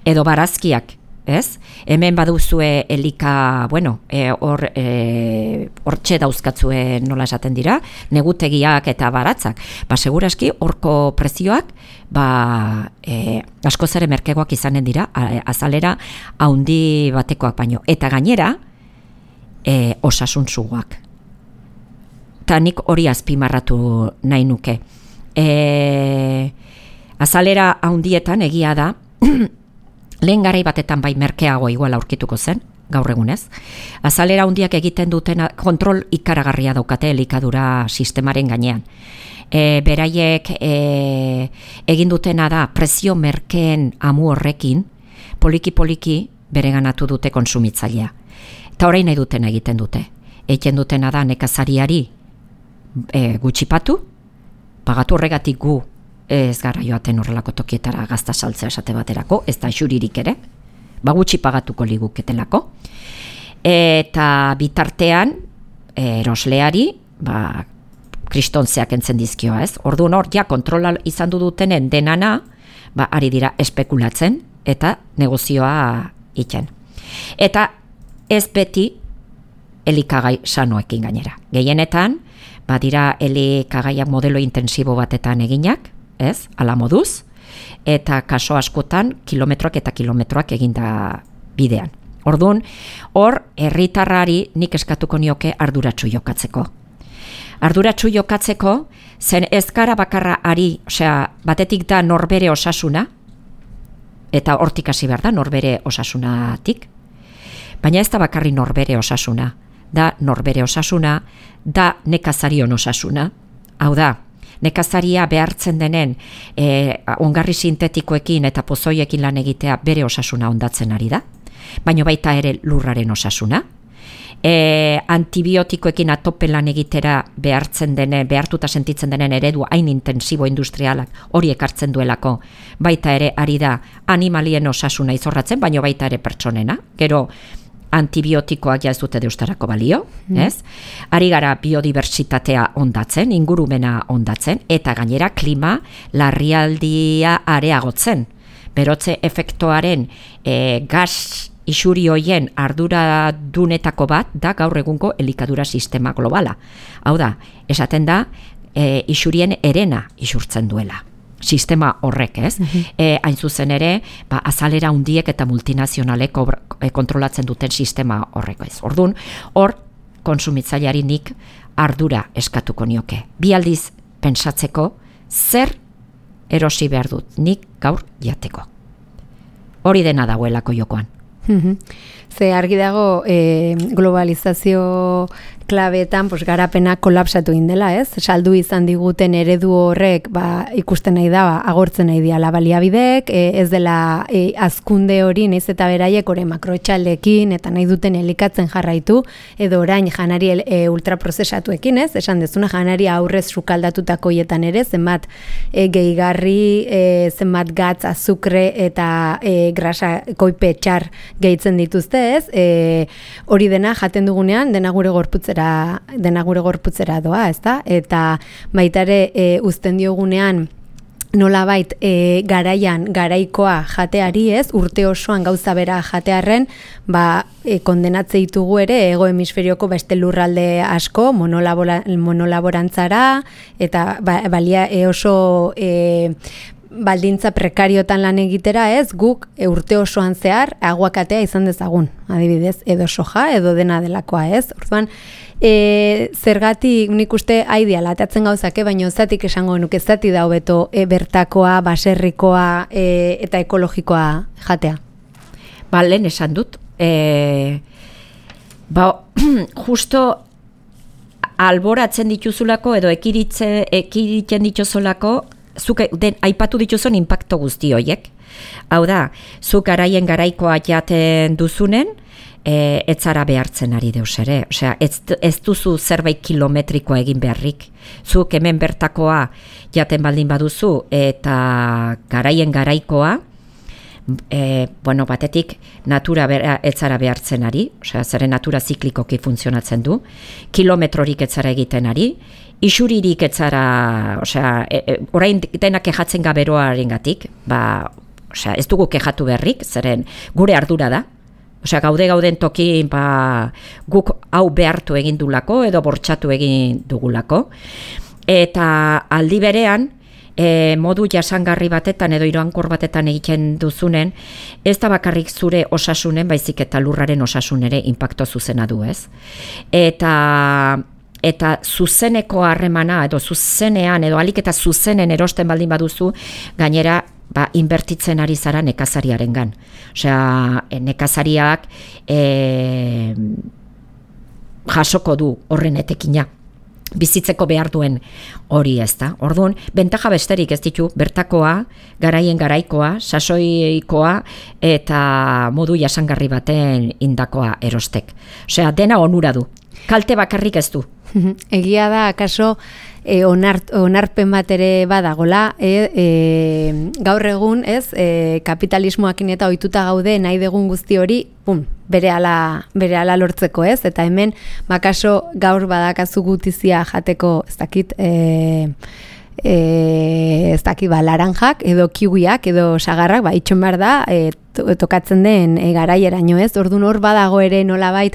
Edo barazkiak, ez? Hemen baduzue elika, bueno, e, hor e, hortxe dauzkatzue nola esaten dira, negutegiak eta baratzak. Ba, seguraski horko prezioak ba, e, asko zere merkegoak izanen dira, azalera haundi batekoak baino. Eta gainera, e, osasun zuguak. Eta nik hori azpimarratu nahi nuke. E, azalera haundietan egia da, lehen garai batetan bai merkeago igual aurkituko zen, gaur egunez. Azalera handiak egiten duten kontrol ikaragarria daukate elikadura sistemaren gainean. E, beraiek e, egin dutena da prezio merkeen amu horrekin poliki-poliki bereganatu dute konsumitzailea. Eta orain nahi duten egiten dute. Egiten dutena da nekazariari e, gutxipatu, pagatu horregatik gu ez gara joaten horrelako tokietara gazta saltzea esate baterako, ez da xuririk ere, ba gutxi pagatuko liguketelako. Eta bitartean erosleari ba, kristontzeak entzen dizkioa, ez? Orduan hor, ja, kontrola izan du dutenen denana, ba, ari dira espekulatzen eta negozioa iten. Eta ez beti elikagai sanoekin gainera. Gehienetan, badira elikagaiak modelo intensibo batetan eginak, ez? Ala moduz, eta kaso askotan kilometroak eta kilometroak eginda bidean. Orduan, hor, herritarrari nik eskatuko nioke arduratsu jokatzeko. Arduratsu jokatzeko, zen ez gara bakarra ari, osea, batetik da norbere osasuna, eta hortik hasi behar da norbere osasunatik, baina ez da bakarri norbere osasuna, da norbere osasuna, da nekazarion osasuna, hau da, nekazaria behartzen denen e, ongarri sintetikoekin eta pozoiekin lan egitea bere osasuna ondatzen ari da, baina baita ere lurraren osasuna, E, antibiotikoekin atope lan egitera behartzen denen, behartuta sentitzen denen eredu hain intensibo industrialak hori ekartzen duelako, baita ere ari da animalien osasuna izorratzen, baina baita ere pertsonena, gero antibiotikoak ja ez dute deustarako balio, mm. ez? Ari gara biodibertsitatea ondatzen, ingurumena ondatzen, eta gainera klima larrialdia areagotzen. Berotze efektuaren e, gas isuri hoien arduradunetako bat da gaur egungo elikadura sistema globala. Hau da, esaten da, e, isurien erena isurtzen duela. Sistema horrek, ez? Mm-hmm. E, hain zuzen ere, ba, azalera hundiek eta multinazionalek e, kontrolatzen duten sistema horrek, ez? Orduan, hor, konsumitzaileari nik ardura eskatuko nioke. Bi aldiz pentsatzeko, zer erosi behar dut nik gaur jateko. Hori dena dagoelako jokoan. Ze argi dago e, globalizazio klabeetan pues, garapena kolapsatu indela, ez? Saldu izan diguten eredu horrek ba, ikusten nahi da, ba, agortzen nahi diala baliabideek, e, ez dela e, azkunde hori, naiz eta beraiek ore makroetxaldekin eta nahi duten elikatzen jarraitu, edo orain janari e, ultraprozesatuekin, ez? Esan dezuna janari aurrez sukaldatutako hietan ere, zenbat e, gehigarri, e, zenbat gatz, azukre eta e, grasa koipe txar gehitzen dituzte, ez? E, hori dena jaten dugunean, dena gure gorputzera dena gure gorputzera doa, ezta? Eta baita ere e, uzten diogunean nolabait e, garaian garaikoa jateari, ez? Urte osoan gauza bera jatearren, ba e, kondenatze ditugu ere hego hemisferioko beste lurralde asko monolabora, monolaborantzara eta ba, balia e, oso e, baldintza prekariotan lan egitera, ez, guk e, urte osoan zehar aguakatea izan dezagun, adibidez, edo soja, edo dena delakoa, ez? Orduan, e, zergatik nik uste aideala atatzen gauzake, baina zatik esango nuke zati da hobeto e, bertakoa, baserrikoa e, eta ekologikoa jatea. Ba, lehen esan dut, e, ba, justo alboratzen dituzulako edo ekiritze, ekiritzen dituzulako zuk den aipatu dituzun inpakto guzti horiek. Hau da, zuk garaien garaikoa jaten duzunen, e, ez zara behartzen ari deus ere. Osea, ez, ez duzu zerbait kilometrikoa egin beharrik. Zuk hemen bertakoa jaten baldin baduzu eta garaien garaikoa, E, bueno, batetik natura bera, ez zara behartzen ari, osea, zeren natura ziklikoki funtzionatzen du, kilometrorik ez zara egiten ari, isuririk ez zara, osea, e, e, orain denak kejatzen gaberoaren gatik, ba, osea, ez dugu kejatu berrik, zeren gure ardura da, osea, gaude gauden tokin, ba, guk hau behartu egin dulako edo bortxatu egin dugulako, eta aldi berean, E, modu jasangarri batetan edo irankor batetan egiten duzunen, ez da bakarrik zure osasunen, baizik eta lurraren osasun ere inpakto zuzena du, ez? Eta, eta zuzeneko harremana edo zuzenean edo alik eta zuzenen erosten baldin baduzu, gainera ba, inbertitzen ari zara nekazariarengan. Osea, nekazariak e, jasoko du horren etekina. Bizitzeko behar duen hori, ez da. Orduan, bentaja besterik ez ditu, bertakoa, garaien garaikoa, sasoikoa eta modu jasangarri baten indakoa erostek. Osea, dena onura du. Kalte bakarrik ez du. Egia da, akaso, e, onart, onarpen bat ere badagola, e, e, gaur egun, ez, e, kapitalismoakin eta ohituta gaude nahi degun guzti hori, pum, berehala berehala lortzeko, ez? Eta hemen bakaso gaur badakazu gutizia jateko, ez dakit, eh E, ez daki ba, laranjak edo kiwiak edo sagarrak ba, itxon behar da e, tokatzen den e, garaieraino, ez? Orduan hor badago ere nolabait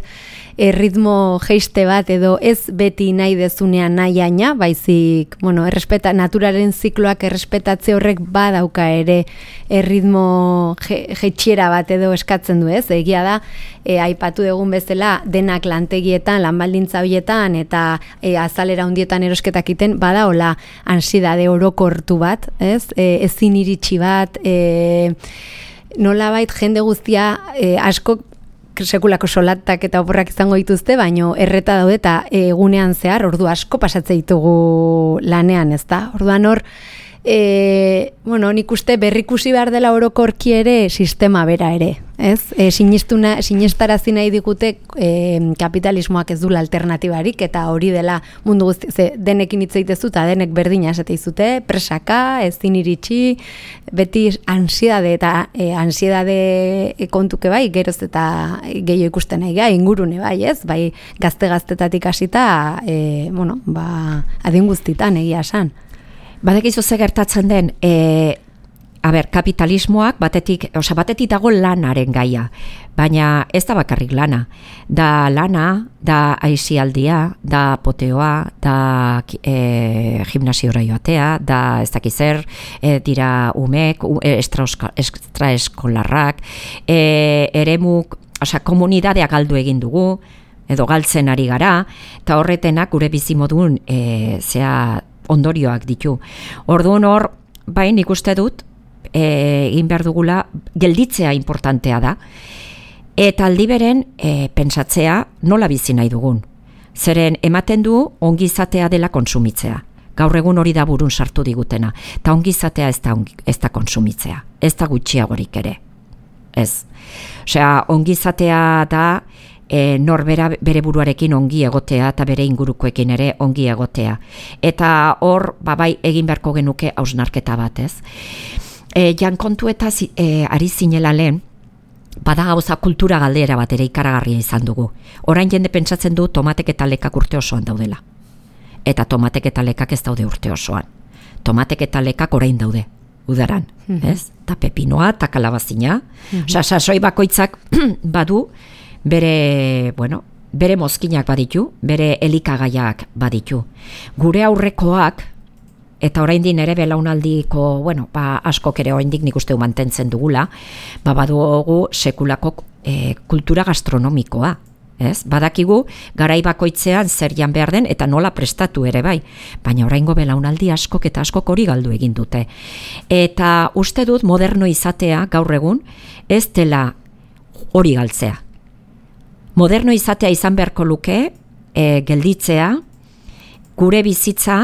e, ritmo geiste bat edo ez beti nahi dezunean nahi aina, baizik, bueno, errespeta, naturaren zikloak errespetatze horrek badauka ere e, ritmo jeitxiera bat edo eskatzen du, ez? Egia da, e, aipatu dugun bezala denak lantegietan, lanbaldintza horietan eta e, azalera hundietan erosketak iten, badaola ansiedade orokortu bat, ez? E, ezin iritsi bat, e, nolabait jende guztia e, asko sekulako solatak eta oporrak izango dituzte, baino erreta daude eta egunean zehar ordu asko pasatze ditugu lanean, ezta? Orduan hor, e, bueno, nik uste berrikusi behar dela orokorki ere sistema bera ere, ez? E, sinistuna, sinestarazi nahi digute e, kapitalismoak ez dula alternatibarik eta hori dela mundu guzti, ze denekin hitz egitezu eta denek berdina esate izute, presaka, ezin iritsi, beti ansiedade eta e, ansiedade kontuke bai, geroz eta gehiago ikusten nahi gai, ingurune bai, ez? Bai, gazte-gaztetatik hasita, e, bueno, ba, adin guztitan egia esan. Badakizu ze gertatzen den, e, a ber, kapitalismoak batetik, osea, batetik dago lanaren gaia, baina ez da bakarrik lana. Da lana, da aisialdia, da poteoa, da e, gimnasiora joatea, da ez dakiz zer, e, dira umek, extraeskolarrak, e, eremuk, osea, komunidadea galdu egin dugu, edo galtzen ari gara, eta horretenak gure bizimodun e, zea ondorioak ditu. Orduan hor, bai, nik uste dut, egin behar dugula, gelditzea importantea da, eta aldi beren e, pentsatzea nola bizi nahi dugun. Zeren ematen du ongizatea dela konsumitzea. Gaur egun hori da burun sartu digutena. Eta ongizatea ez da, ez da konsumitzea. Ez da gutxiagorik ere. Ez. Osea, ongizatea da E, norbera bere buruarekin ongi egotea eta bere ingurukoekin ere ongi egotea. Eta hor, babai, egin beharko genuke hausnarketa bat, ez? E, jan kontu eta e, ari zinela lehen, bada gauza kultura galdera bat ere ikaragarria izan dugu. Orain jende pentsatzen du tomatek eta lekak urte osoan daudela. Eta tomatek eta lekak ez daude urte osoan. Tomatek eta lekak orain daude, udaran, mm-hmm. ez? Ta pepinoa, ta kalabazina. Mm-hmm. Osa, sasoi bakoitzak badu, bere, bueno, bere mozkinak baditu, bere elikagaiak baditu. Gure aurrekoak, eta oraindik ere belaunaldiko, bueno, ba, askok ere oraindik nik uste mantentzen dugula, ba, badugu sekulako e, kultura gastronomikoa. Ez? Badakigu garai bakoitzean zer jan behar den eta nola prestatu ere bai, baina oraingo belaunaldi askok eta askok hori galdu egin dute. Eta uste dut moderno izatea gaur egun ez dela hori galtzea. Moderno izatea izan beharko luke, e, gelditzea, gure bizitza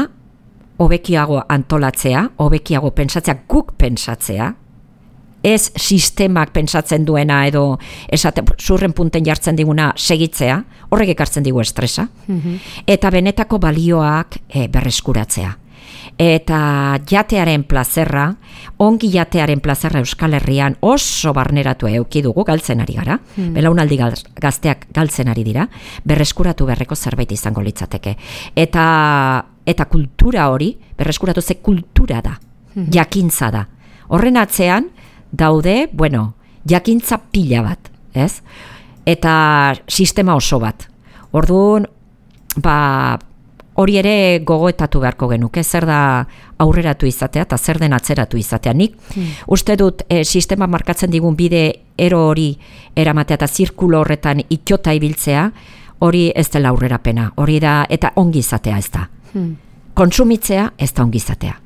hobekiago antolatzea, hobekiago pentsatzea, guk pentsatzea, ez sistemak pentsatzen duena edo esate, zurren punten jartzen diguna segitzea, horrek ekartzen digu estresa, mm-hmm. eta benetako balioak e, berreskuratzea. Eta jatearen plazerra, ongi jatearen plazerra Euskal Herrian oso barneratu eduki dugu, galtzen ari gara, hmm. belaunaldi gazteak galtzen ari dira, berreskuratu berreko zerbait izango litzateke. Eta, eta kultura hori, berreskuratu ze kultura da, hmm. jakintza da. Horren atzean daude, bueno, jakintza pila bat, ez? Eta sistema oso bat. Orduan, ba, hori ere gogoetatu beharko genuke, zer da aurreratu izatea eta zer den atzeratu izatea. Nik hmm. uste dut e, sistema markatzen digun bide ero hori eramatea eta zirkulo horretan itxota ibiltzea, hori ez dela aurrerapena, hori da, eta ongi izatea ez da. Hmm. Kontsumitzea ez da ongi izatea.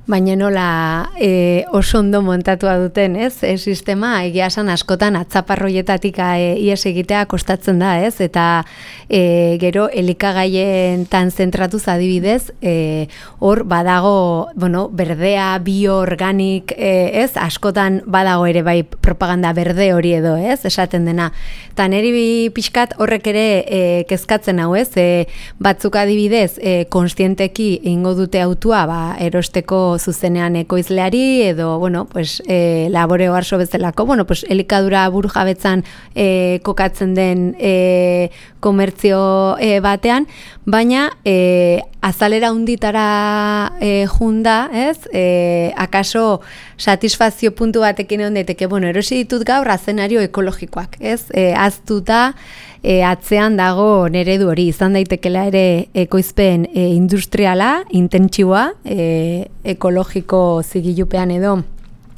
Baina nola e, oso ondo montatua duten, ez? E, sistema egia esan askotan atzaparroietatik e, ies egitea kostatzen da, ez? Eta e, gero elikagaien tan zentratuz adibidez, e, hor badago, bueno, berdea, bioorganik, e, ez? Askotan badago ere bai propaganda berde hori edo, ez? Esaten dena. Eta neri pixkat horrek ere e, kezkatzen hau, ez? E, batzuk adibidez, e, konstienteki ingo dute autua, ba, erosteko zuzenean ekoizleari edo, bueno, pues, e, laboreo arso bezalako, bueno, pues, elikadura buru jabetzan e, kokatzen den e, komertzio e, batean, baina e, azalera unditara e, junda, ez? E, akaso satisfazio puntu batekin egon daiteke, bueno, erosi ditut gaur azenario ekologikoak, ez? E, aztuta e, atzean dago neredu hori, izan daitekela ere ekoizpen e, industriala, intentsiboa, e, ekologiko zigilupean edo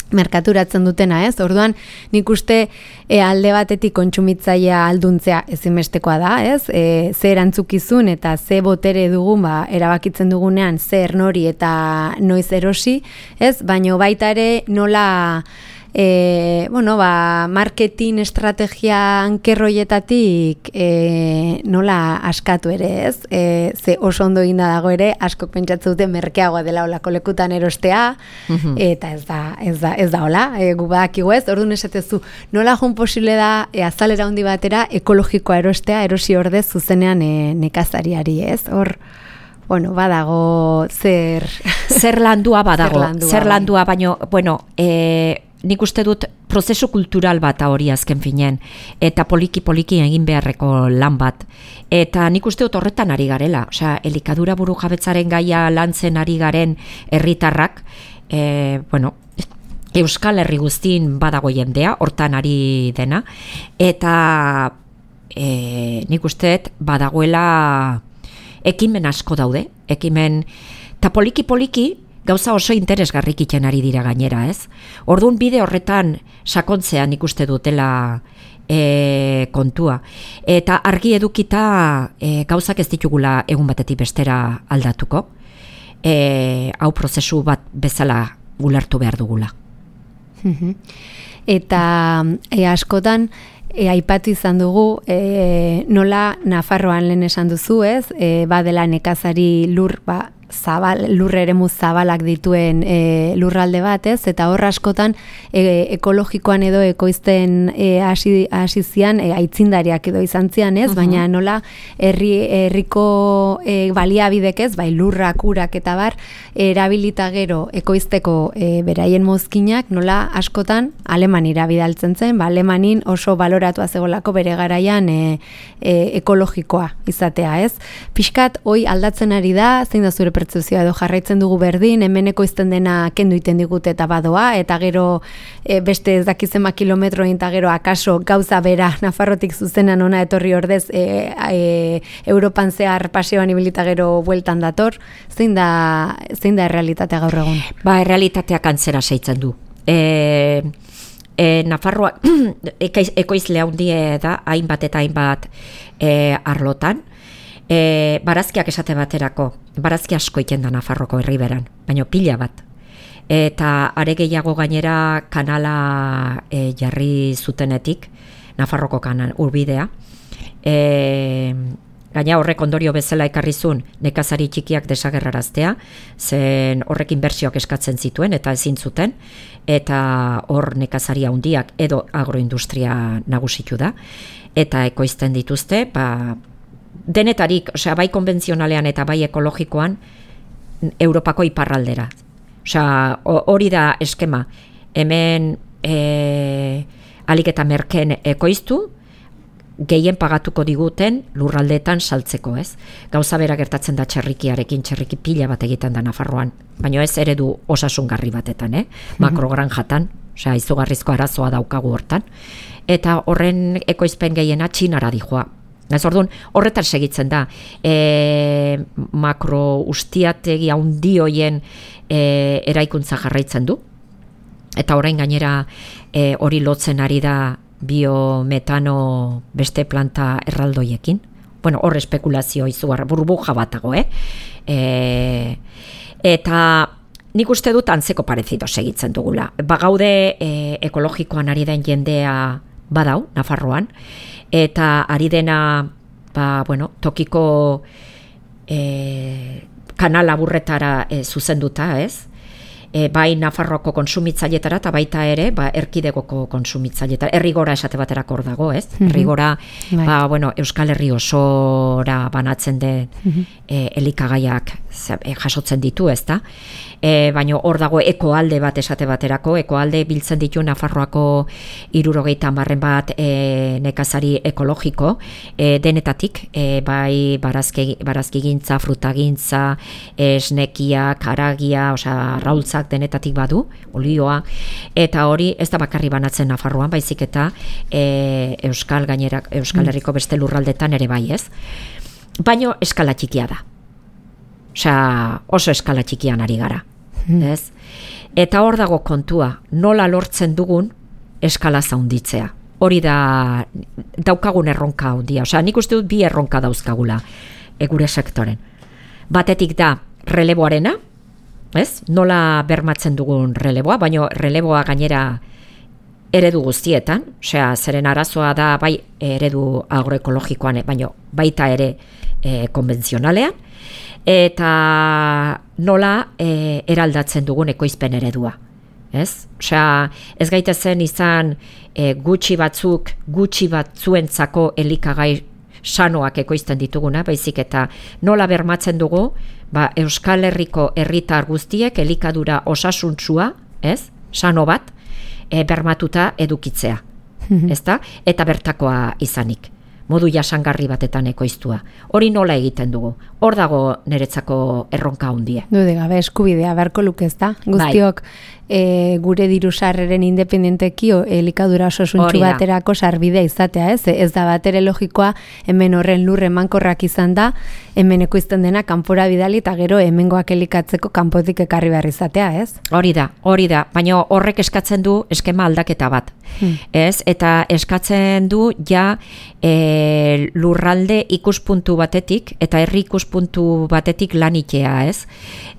merkaturatzen dutena, ez? Orduan, nik uste e, alde batetik kontsumitzailea alduntzea ezinbestekoa da, ez? E, ze erantzukizun eta ze botere dugun, ba, erabakitzen dugunean zer nori eta noiz erosi, ez? Baina baita ere nola E, bueno, ba, marketing estrategia ankerroietatik e, nola askatu ere, ez? E, ze oso ondo eginda dago ere, askok pentsatzen dute merkeagoa dela olako lekutan erostea, uh-huh. eta ez da, ez da, ez da hola, e, gu badakigu ez, orduan esatezu, nola joan posible da e, azalera handi batera ekologikoa erostea, erosi ordez zuzenean e, nekazariari, ez? Hor, bueno, badago zer... Zer landua badago, zer landua, zer landua, baino, bueno, e, nik uste dut prozesu kultural bat hori azken finen, eta poliki-poliki egin beharreko lan bat. Eta nik uste dut horretan ari garela, osea, elikadura buru jabetzaren gaia lantzen ari garen herritarrak, e, bueno, Euskal Herri guztin badago jendea, hortan ari dena, eta e, nik uste dut badagoela ekimen asko daude, ekimen, eta poliki-poliki, gauza oso interesgarrik iten ari dira gainera, ez? Orduan bide horretan sakontzean ikuste dutela e, kontua. Eta argi edukita e, gauzak ez ditugula egun batetik bestera aldatuko. E, hau prozesu bat bezala ulertu behar dugula. Eta e, askotan, E, aipatu izan dugu, e, nola Nafarroan lehen esan duzu, ez? E, badela nekazari lur, ba, zabal, lurre eremu zabalak dituen e, lurralde bat, ez? Eta hor askotan e, ekologikoan edo ekoizten e, hasi, hasi zian, e, aitzindariak edo izan zian, ez? Uh-huh. Baina nola herri, herriko e, baliabidek, ez? Bai, lurrak, urak eta bar, erabilita gero ekoizteko e, beraien mozkinak, nola askotan Alemanira bidaltzen zen, ba, Alemanin oso baloratua zegolako bere garaian e, e, ekologikoa izatea, ez? Pixkat, hoi aldatzen ari da, zein da zure pertzepzioa edo jarraitzen dugu berdin, hemen ekoizten dena kendu iten digute eta badoa, eta gero e, beste ez dakizema kilometro eta gero akaso gauza bera Nafarrotik zuzenan ona etorri ordez e, e, Europan zehar paseoan ibilita gero bueltan dator, zein da, zein da errealitatea gaur egun? Ba, errealitateak antzera seitzen du. E, e, Nafarroa ekoizle handie da, hainbat eta hainbat e, arlotan, E, barazkiak esate baterako, barazki asko iten da Nafarroko herriberan, baina pila bat. Eta are gehiago gainera kanala e, jarri zutenetik, Nafarroko kanal urbidea. E, gaina horrek ondorio bezala ekarrizun nekazari txikiak desagerraraztea, zen horrek inbertsioak eskatzen zituen eta ezin zuten, eta hor nekazari handiak edo agroindustria nagusitu da, eta ekoizten dituzte, ba, denetarik, osea, bai konbentzionalean eta bai ekologikoan Europako iparraldera. Osea, hori da eskema. Hemen e, alik eta merken ekoiztu, gehien pagatuko diguten lurraldeetan saltzeko, ez? Gauza bera gertatzen da txerrikiarekin, txerriki pila bat egiten da Nafarroan, baina ez eredu osasungarri batetan, eh? Makrogranjatan, osea, izugarrizko arazoa daukagu hortan, eta horren ekoizpen gehiena Txinara dijoa. Ez orduan, horretar segitzen da, e, makro ustiategi handi hoien e, eraikuntza jarraitzen du, eta orain gainera e, hori lotzen ari da biometano beste planta erraldoiekin. Bueno, hor espekulazio izugar, burbuja batago, eh? E, eta nik uste dut antzeko parezido segitzen dugula. Bagaude e, ekologikoan ari den jendea badau, Nafarroan, eta ari dena, ba, bueno, tokiko e, kanal aburretara e, zuzenduta, ez? E, bai Nafarroako konsumitzailetara eta baita ere, ba, erkidegoko konsumitzailetara, errigora esate baterako hor dago, ez? Mm-hmm. Errigora, ba, bueno, Euskal Herri osora banatzen den mm-hmm. e, elikagaiak jasotzen ditu, ezta? E, baina hor dago ekoalde bat esate baterako, ekoalde biltzen ditu Nafarroako hirurogeita hamarren bat e, nekazari ekologiko, e, denetatik, e, bai barazki, barazkigintza, frutagintza, esnekia, karagia, osea, raultzak denetatik badu, olioa, eta hori ez da bakarri banatzen Nafarroan, baizik eta e, Euskal gainera, Euskal Herriko beste lurraldetan ere bai, ez? Baino eskala txikia da. Osea, oso eskala txikian ari gara, ez? Eta hor dago kontua, nola lortzen dugun eskala zaunditzea. Hori da daukagun erronka handia. Osea, nik uste dut bi erronka dauzkagula e, gure sektoren. Batetik da releboarena, ez? Nola bermatzen dugun releboa, baino releboa gainera eredu guztietan, osea, zeren arazoa da bai eredu agroekologikoan, baino baita ere e, konbentzionalean, eta nola e, eraldatzen dugun ekoizpen eredua. Ez? Osea, ez gaitezen izan e, gutxi batzuk, gutxi batzuentzako elikagai sanoak ekoizten dituguna, baizik eta nola bermatzen dugu, ba, Euskal Herriko herritar guztiek elikadura osasuntsua, ez? Sano bat, e, bermatuta edukitzea, ezta? Eta bertakoa izanik, modu jasangarri batetan ekoiztua. Hori nola egiten dugu? Hor dago niretzako erronka handia. Dude gabe eskubidea beharko luke, ezta? Guztiok e, gure diru sarreren independenteki elikadura osasuntsu baterako sarbidea izatea, ez? Ez da batere logikoa hemen horren lur emankorrak izan da, hemen ekoizten dena kanpora bidali eta gero hemengoak elikatzeko kanpotik ekarri behar izatea, ez? Hori da, hori da, baina horrek eskatzen du eskema aldaketa bat. Hmm. Ez? Eta eskatzen du ja e, lurralde ikuspuntu batetik eta herri ikuspuntu batetik lanitea, ez?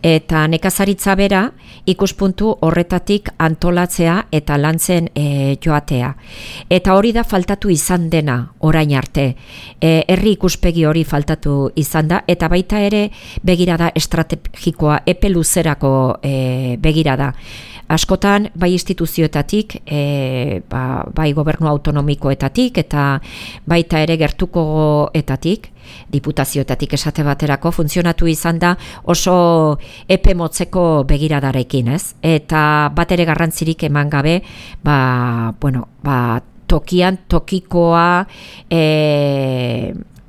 Eta nekazaritza bera ikuspuntu horretatik antolatzea eta lantzen e, joatea. Eta hori da faltatu izan dena orain arte. E, herri ikuspegi hori faltatu izan da eta baita ere begirada estrategikoa epe luzerako e, begirada. Askotan, bai instituzioetatik, e, ba, bai gobernu autonomikoetatik eta baita ere gertukoetatik, diputazioetatik esate baterako funtzionatu izan da oso epe motzeko begiradarekin, ez? Eta bat ere garrantzirik eman gabe, ba, bueno, ba, tokian, tokikoa, e,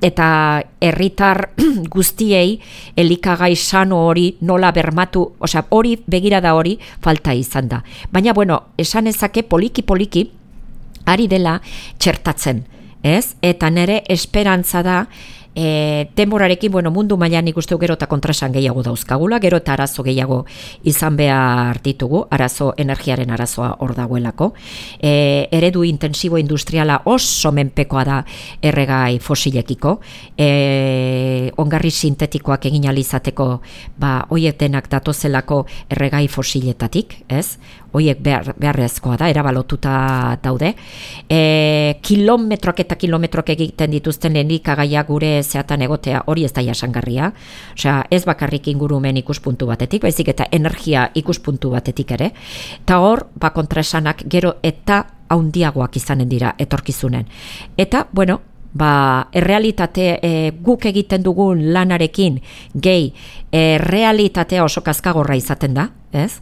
eta herritar guztiei elikagai sano hori nola bermatu, osea, hori begirada hori falta izan da. Baina, bueno, esan ezake poliki-poliki ari dela txertatzen, ez? Eta nere esperantza da E, denborarekin, bueno, mundu mailan ikustu gero eta kontrasan gehiago dauzkagula, gero eta arazo gehiago izan behar ditugu, arazo energiaren arazoa hor dagoelako. E, eredu intensibo industriala oso menpekoa da erregai fosilekiko, e, ongarri sintetikoak egin alizateko, ba, hoiek denak datozelako erregai fosiletatik, ez? Hoiek behar, beharrezkoa da, erabalotuta daude. E, kilometrok eta kilometrok egiten dituzten elikagaiak gure zeatan egotea hori ez da jasangarria. Osea, ez bakarrik ingurumen ikuspuntu batetik, baizik eta energia ikuspuntu batetik ere. Eta hor, ba kontraesanak gero eta haundiagoak izanen dira etorkizunen. Eta, bueno, ba, errealitate e, guk egiten dugun lanarekin gehi, e, realitatea oso kaskagorra izaten da, ez?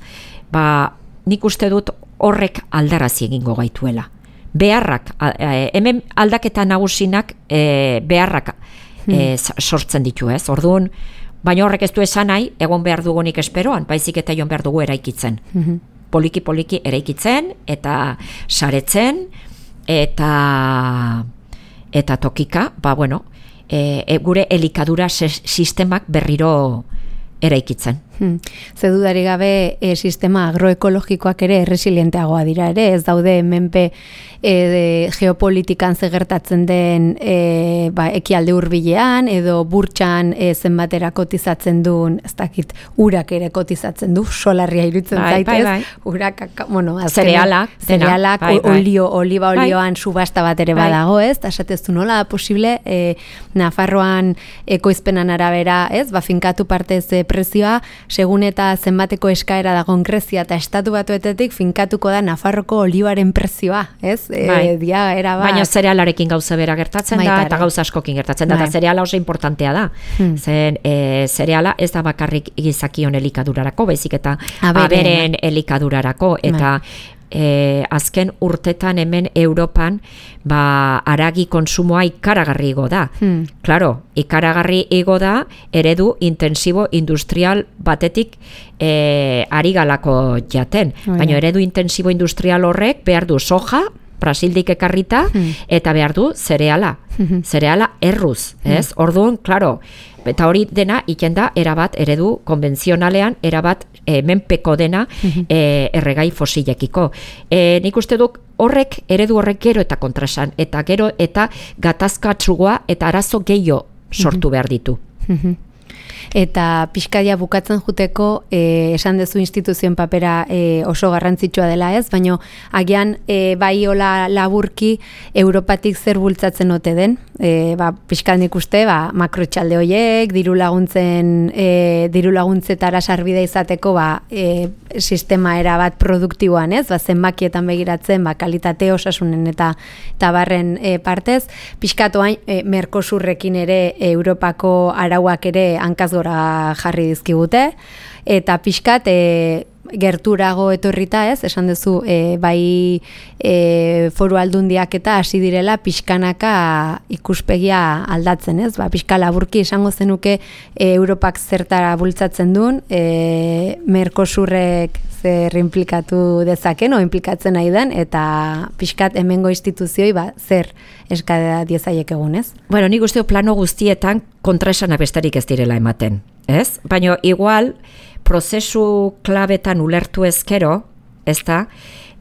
Ba, nik uste dut horrek aldarazi egingo gaituela. Beharrak, e, hemen aldaketa nagusinak e, beharrak e, sortzen ditu, ez? Orduan, baina horrek ez du esan nahi, egon behar dugunik esperoan, baizik eta joan behar dugu eraikitzen. Poliki-poliki eraikitzen, eta saretzen, eta, eta tokika, ba, bueno, e, e, gure elikadura sistemak berriro eraikitzen. Hmm. Ze dudari gabe e, sistema agroekologikoak ere erresilienteagoa dira ere, ez daude menpe e, de, geopolitikan zegertatzen den e, ba, ekialde hurbilean edo burtsan e, zenbatera kotizatzen duen, ez dakit, urak ere kotizatzen du, solarria iruditzen bai, zaitez, bai, bai. urak, bueno, zerealak, zerealak, bai, bai. olio, oliba olioan bai. Subasta bat ere bai. Badago, ez, eta esateztu nola posible, e, Nafarroan ekoizpenan arabera, ez, ba, finkatu partez e, prezioa, segun eta zenbateko eskaera dagoen Grezia eta Estatu Batuetetik finkatuko da Nafarroko olioaren prezioa, ez? Bai. E, dia, era bat. Baina zerealarekin gauza bera gertatzen da, eta gauza askokin gertatzen da, bai. Eta zereala oso importantea da. Hmm. Zen, e, zereala ez da bakarrik gizakion elikadurarako, baizik eta aberen, aberen elikadurarako, eta bai. E, azken urtetan hemen Europan ba, aragi konsumoa ikaragarri igo da. Hmm. Claro, ikaragarri igo da eredu intensibo industrial batetik e, ari galako jaten. Oh, baina ja. Eredu intensibo industrial horrek behar du soja, Brasildik ekarrita, hmm. eta behar du zereala. Hmm. Zereala erruz, ez? Hmm. Orduan, claro, eta hori dena iken da erabat eredu konbentzionalean, erabat e, menpeko dena e, erregai fosilekiko. E, nik uste duk horrek, eredu horrek gero eta kontrasan, eta gero eta gatazkatsua eta arazo gehiago sortu behar ditu. Eta pixkaia bukatzen juteko e, esan dezu instituzioen papera e, oso garrantzitsua dela ez, baina agian e, bai hola laburki Europatik zer bultzatzen ote den, e, ba, pixkat nik uste ba, makrotxalde hoiek, diru laguntzen e, diru laguntzetara sarbide izateko ba, e, sistema era bat produktiboan ez, ba, zenbakietan begiratzen ba, kalitate osasunen eta tabarren e, partez, pixkatoan e, Mercosurrekin ere e, Europako arauak ere hankaz gora jarri dizkigute, eta pixkat e, gerturago etorrita ez, esan duzu e, bai e, foru aldundiak eta hasi direla pixkanaka ikuspegia aldatzen ez, ba, pixka laburki esango zenuke e, Europak zertara bultzatzen duen, e, Mercosurrek zer implikatu dezaken o implikatzen nahi den, eta pixkat hemengo instituzioi ba, zer eskadea diezaiek egun ez? Bueno, nik usteo plano guztietan kontraesana besterik ez direla ematen, ez? Baina igual prozesu klabetan ulertu ezkero, ez da,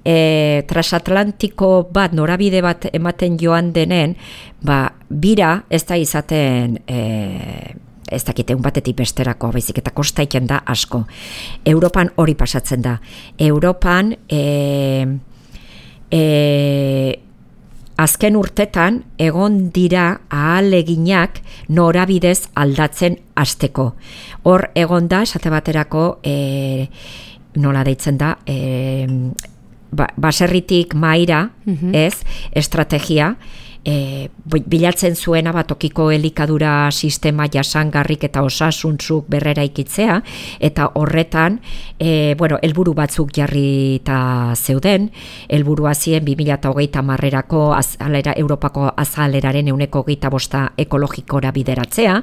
e, transatlantiko bat, norabide bat ematen joan denen, ba, bira ez da izaten e, ez dakite un batetik besterako, baizik eta kosta iten da asko. Europan hori pasatzen da. Europan e, e, azken urtetan egon dira ahaleginak norabidez aldatzen hasteko. Hor egon da, esate baterako, e, nola deitzen da, e, ba, baserritik maira, mm-hmm. ez, estrategia, E, bilatzen zuena batokiko elikadura sistema jasangarrik eta osasuntzuk berrera ikitzea, eta horretan e, bueno, helburu batzuk jarrita zeuden, helburua zien bi mila hogeita hamarrerako azalera, Europako azaleraren ehuneko hogeita bosta ekologikora bideratzea,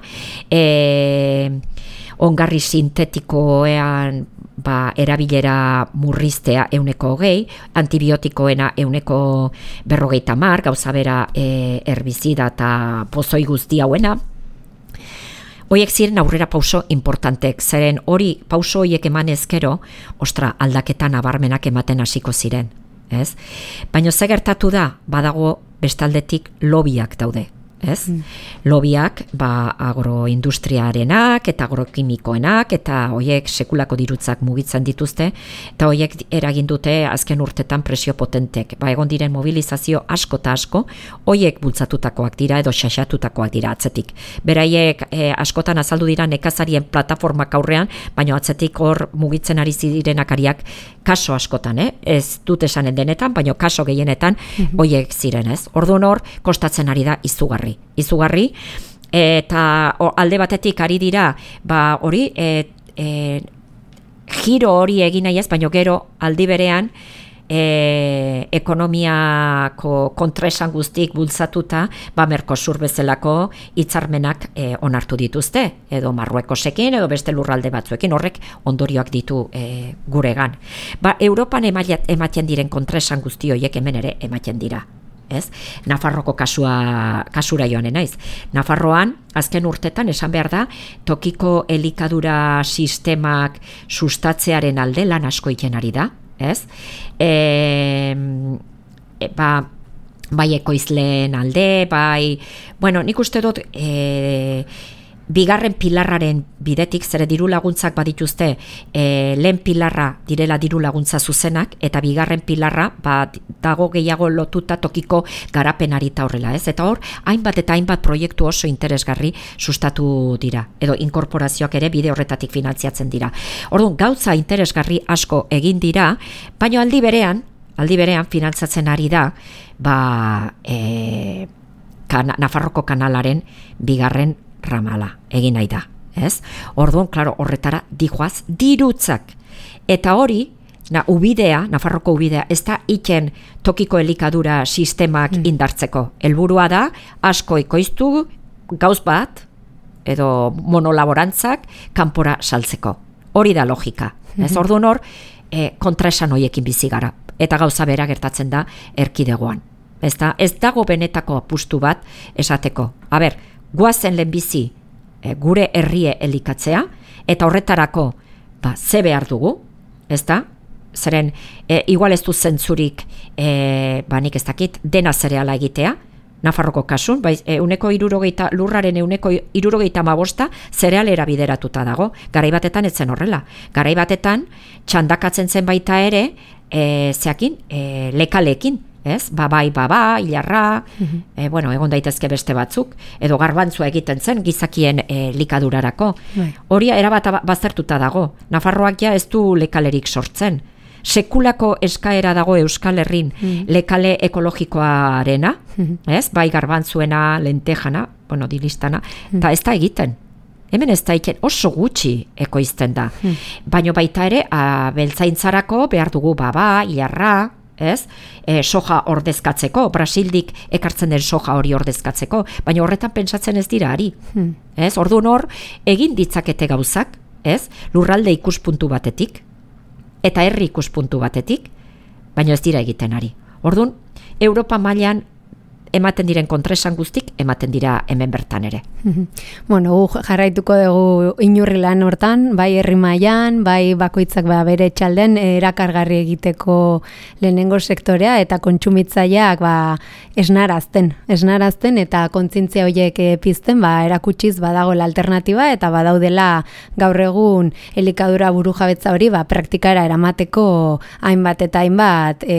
e, ongarri sintetikoean ba, erabilera murriztea ehuneko hogei, antibiotikoena ehuneko berrogeita hamar, gauza bera e, herbizida eta pozoi guzti hauena. Hoiek ziren aurrera pauso importantek, zeren hori pauso hoiek eman ezkero, ostra, aldaketan nabarmenak ematen hasiko ziren, ez? Baina ze gertatu da, badago bestaldetik lobiak daude. Ez? Mm. Lobiak ba, agroindustriarenak eta agrokimikoenak eta hoiek sekulako dirutzak mugitzen dituzte eta hoiek eragin dute azken urtetan presio potentek. Ba, egon diren mobilizazio asko eta asko hoiek bultzatutakoak dira edo xaxatutakoak dira atzetik. Beraiek e, askotan azaldu dira nekazarien plataformak aurrean, baina atzetik hor mugitzen ari zirenakariak kaso askotan, eh? Ez dut esanen denetan, baina kaso gehienetan mm-hmm. hoiek ziren, ez? Orduan hor kostatzen ari da izugarri. Izugarri, eta o, alde batetik ari dira, ba hori, e, e, giro hori egin nahi ez, baina gero aldi berean e, ekonomiako kontraesan guztik bultzatuta, ba Mercosur bezalako hitzarmenak e, onartu dituzte, edo Marruekosekin, edo beste lurralde batzuekin, horrek ondorioak ditu e, guregan. Ba, Europan ematen diren kontraesan guzti horiek hemen ere ematen dira. Ez? Nafarroko kasua, kasura joan naiz. Nafarroan, azken urtetan, esan behar da, tokiko elikadura sistemak sustatzearen alde lan asko egiten ari da. Ez? E, e, ba, bai ekoizleen alde, bai, bueno, nik uste dut, e, bigarren pilarraren bidetik, zere diru laguntzak badituzte, e, lehen pilarra direla diru laguntza zuzenak, eta bigarren pilarra ba, dago gehiago lotuta tokiko garapenari eta horrela, ez? Eta hor, hainbat eta hainbat proiektu oso interesgarri sustatu dira, edo inkorporazioak ere bide horretatik finantziatzen dira. Orduan, gauza interesgarri asko egin dira, baina aldi berean, aldi berean finantzatzen ari da, ba, e, kan, Nafarroko kanalaren bigarren ramala egin nahi da, ez? Orduan, klaro, horretara dijoaz dirutzak. Eta hori, na, ubidea, Nafarroko ubidea, ez da iken tokiko elikadura sistemak mm. indartzeko. Helburua da, asko ekoiztu gauz bat, edo monolaborantzak, kanpora saltzeko. Hori da logika. Ez? Mm-hmm. Orduan hor, e, kontraesan hoiekin bizi gara. Eta gauza bera gertatzen da erkidegoan. Ez, da, ez dago benetako apustu bat esateko. A ber, guazen lehenbizi e, gure herrie elikatzea, eta horretarako ba, ze behar dugu, ez da? Zeren, e, igual ez du zentzurik, e, ba nik ez dakit, dena zereala egitea, Nafarroko kasun, bai, euneko irurogeita, lurraren euneko irurogeita mabosta zerealera bideratuta dago. Garai batetan etzen horrela. Garai batetan txandakatzen zen baita ere, e, zeakin, e, lekaleekin. Ez? Babai, baba, hilarra, uh-huh. e, bueno, egon daitezke beste batzuk, edo garbantzua egiten zen gizakien e, likadurarako. Bai. Hori erabat baztertuta dago. Nafarroak ja ez du lekalerik sortzen. Sekulako eskaera dago Euskal Herrin uh-huh. lekale ekologikoarena, uh-huh. ez? Bai garbantzuena, lentejana, bueno, dilistana, eta uh-huh. ez da egiten. Hemen ez da egiten oso gutxi ekoizten da. Uh-huh. Baina baita ere, beltzaintzarako behar dugu baba, hilarra, ez? E, soja ordezkatzeko, Brasildik ekartzen den soja hori ordezkatzeko, baina horretan pentsatzen ez dira ari. Hmm. Ez? Orduan hor, egin ditzakete gauzak, ez? Lurralde ikuspuntu batetik, eta herri ikuspuntu batetik, baina ez dira egiten ari. Orduan, Europa mailan ematen diren kontresan guztik, ematen dira hemen bertan ere. Bueno, gu jarraituko dugu inurri lan hortan, bai herri mailan, bai bakoitzak ba bere txalden erakargarri egiteko lehenengo sektorea eta kontsumitzaileak ba esnarazten, esnarazten eta kontzientzia horiek pizten, ba erakutsiz badagoela alternatiba eta badaudela gaur egun elikadura burujabetza hori ba praktikara eramateko hainbat eta hainbat e,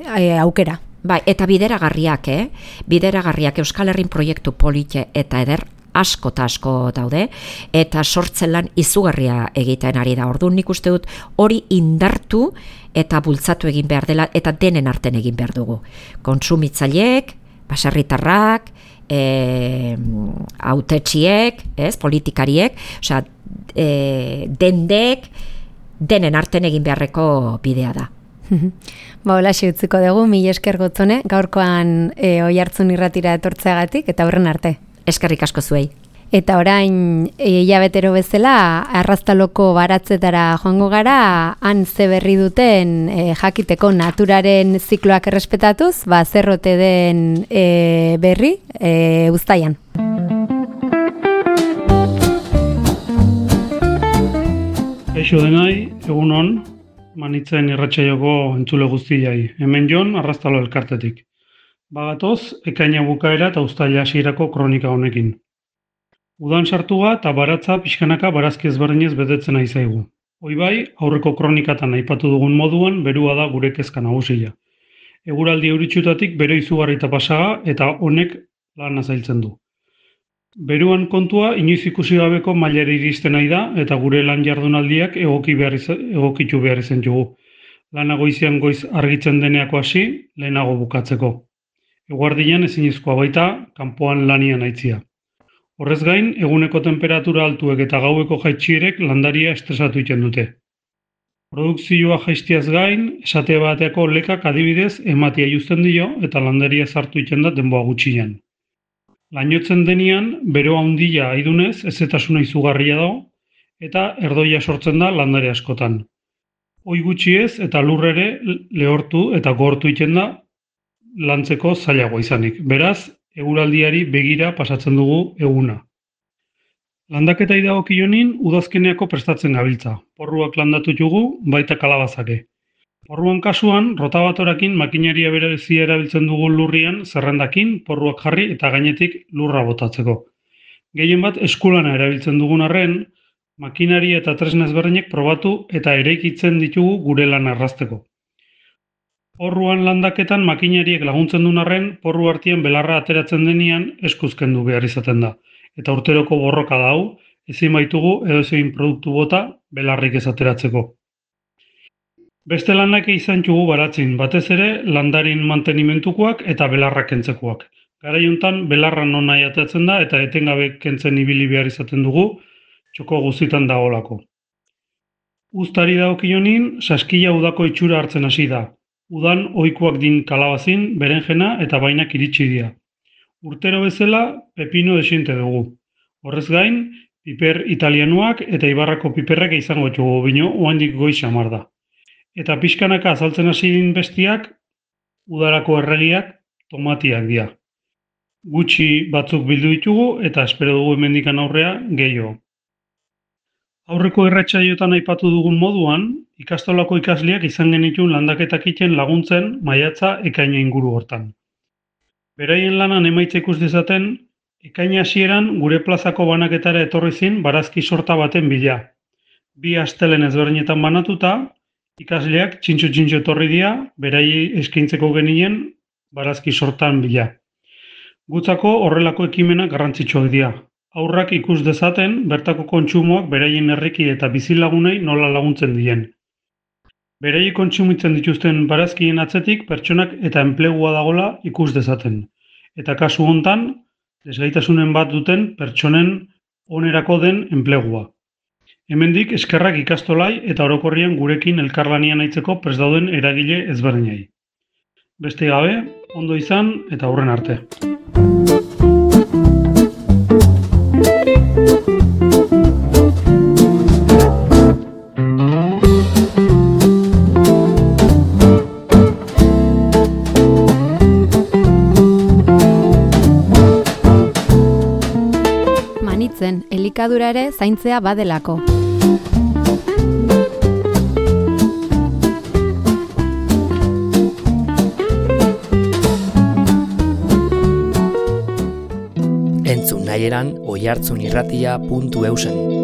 e, aukera. Bai, eta bideragarriak, eh? Bideragarriak Euskal Herrin proiektu polite eta eder asko eta asko daude, eta sortzen lan izugarria egiten ari da. Orduan nik uste dut hori indartu eta bultzatu egin behar dela, eta denen arten egin behar dugu. Kontsumitzaileek, baserritarrak, e, autetxiek, ez, politikariek, osea, e, dendek, denen arten egin beharreko bidea da. Ba, hola utziko dugu, mila esker Gotzone, gaurkoan e, Oihartzun irratira etortzeagatik, eta horren arte. Eskerrik asko zuei. Eta orain, hilabetero e, bezala, arraztaloko baratzetara joango gara, han ze berri duten e, jakiteko naturaren zikloak errespetatuz, ba, zerrote den e, berri, e, Uztaian. Eixo denai, egun on, Manitzen irratsaioko entzule guztiai. Hemen jon, arraztalo elkartetik. Bagatoz, ekaina bukaera eta uztaila hasierako kronika honekin. Udan sartuga eta baratza pixkanaka barazki ezberdinez betetzen ari zaigu. Hoi bai, aurreko kronikatan aipatu dugun moduan, berua da gure kezka nagusia. Eguraldi euritsutatik bero izugarri eta pasaga eta honek lan zailtzen du. Beruan kontua inoiz ikusi gabeko mailera iristen nahi da eta gure lan jardunaldiak egoki behar izan, egokitu behar izan dugu. Lana goizean goiz argitzen deneako hasi, lehenago bukatzeko. Eguardian ezinezkoa baita, kanpoan lanian aitzia. Horrez gain, eguneko temperatura altuek eta gaueko jaitsierek landaria estresatu iten dute. Produkzioa jaistiaz gain, esate bateako lekak adibidez ematia juzten dio eta landaria sartu iten da denboa gutxian. Lainotzen denean, bero handia aidunez, ezetasuna izugarria dago, eta erdoia sortzen da landare askotan. Hoi gutxiez eta lurrere lehortu eta gortu iten da lantzeko zailagoa izanik. Beraz, eguraldiari begira pasatzen dugu eguna. Landaketa idagokionin udazkeneako prestatzen gabiltza. Porruak landatu dugu, baita kalabazake. Porruan kasuan, rotabatorakin makinaria berezia erabiltzen dugu lurrian, zerrendakin, porruak jarri eta gainetik lurra botatzeko. Gehien bat eskulana erabiltzen dugun arren, makinari eta tresna ezberdinek probatu eta eraikitzen ditugu gure lan arrasteko. Porruan landaketan makinariek laguntzen duen arren, porru artean belarra ateratzen denean eskuzkendu behar izaten da. Eta urteroko borroka da hau, ezin baitugu edo zein produktu bota belarrik ez ateratzeko. Beste lanak izan txugu baratzin, batez ere landarin mantenimentukoak eta belarrak kentzekoak. Garai hontan belarra non nahi ateratzen da eta etengabe kentzen ibili behar izaten dugu, txoko guztitan dagoelako. Uztari dagokionin, saskila udako itxura hartzen hasi da. Udan ohikoak din kalabazin, berenjena eta bainak iritsi dira. Urtero bezala pepino desiente dugu. Horrez gain, piper italianuak eta ibarrako piperrak izango txugu, bino oandik goiz xamar da. Eta pixkanaka azaltzen hasi din bestiak, udarako erregiak tomatiak dira. Gutxi batzuk bildu ditugu eta espero dugu hemendikan aurrea gehiago. Aurreko irratsaioetan aipatu dugun moduan, ikastolako ikasleak izan genituen landaketak egiten laguntzen maiatza ekaina inguru hortan. Beraien lanan emaitza ikus dezaten, ekaina hasieran gure plazako banaketara etorri zin barazki sorta baten bila. Bi astelen ezberdinetan banatuta, ikasleak txintxo-txintxo etorri dira, beraiei eskaintzeko genien barazki sortan bila. Gutzako horrelako ekimenak garrantzitsuak dira. Aurrak ikus dezaten, bertako kontsumoak beraien herriki eta bizilagunei nola laguntzen dien. Beraiek kontsumitzen dituzten barazkien atzetik pertsonak eta enplegua dagola ikus dezaten. Eta kasu hontan, desgaitasunen bat duten pertsonen onerako den enplegua. Hemendik eskerrak ikastolai eta orokorrian gurekin elkarlanian aitzeko prest dauden eragile ezberdinei. Beste gabe, ondo izan eta hurren arte. Manitzen, elikadura ere zaintzea badelako. Entzun nahieran oihartzunirratia puntu eusen.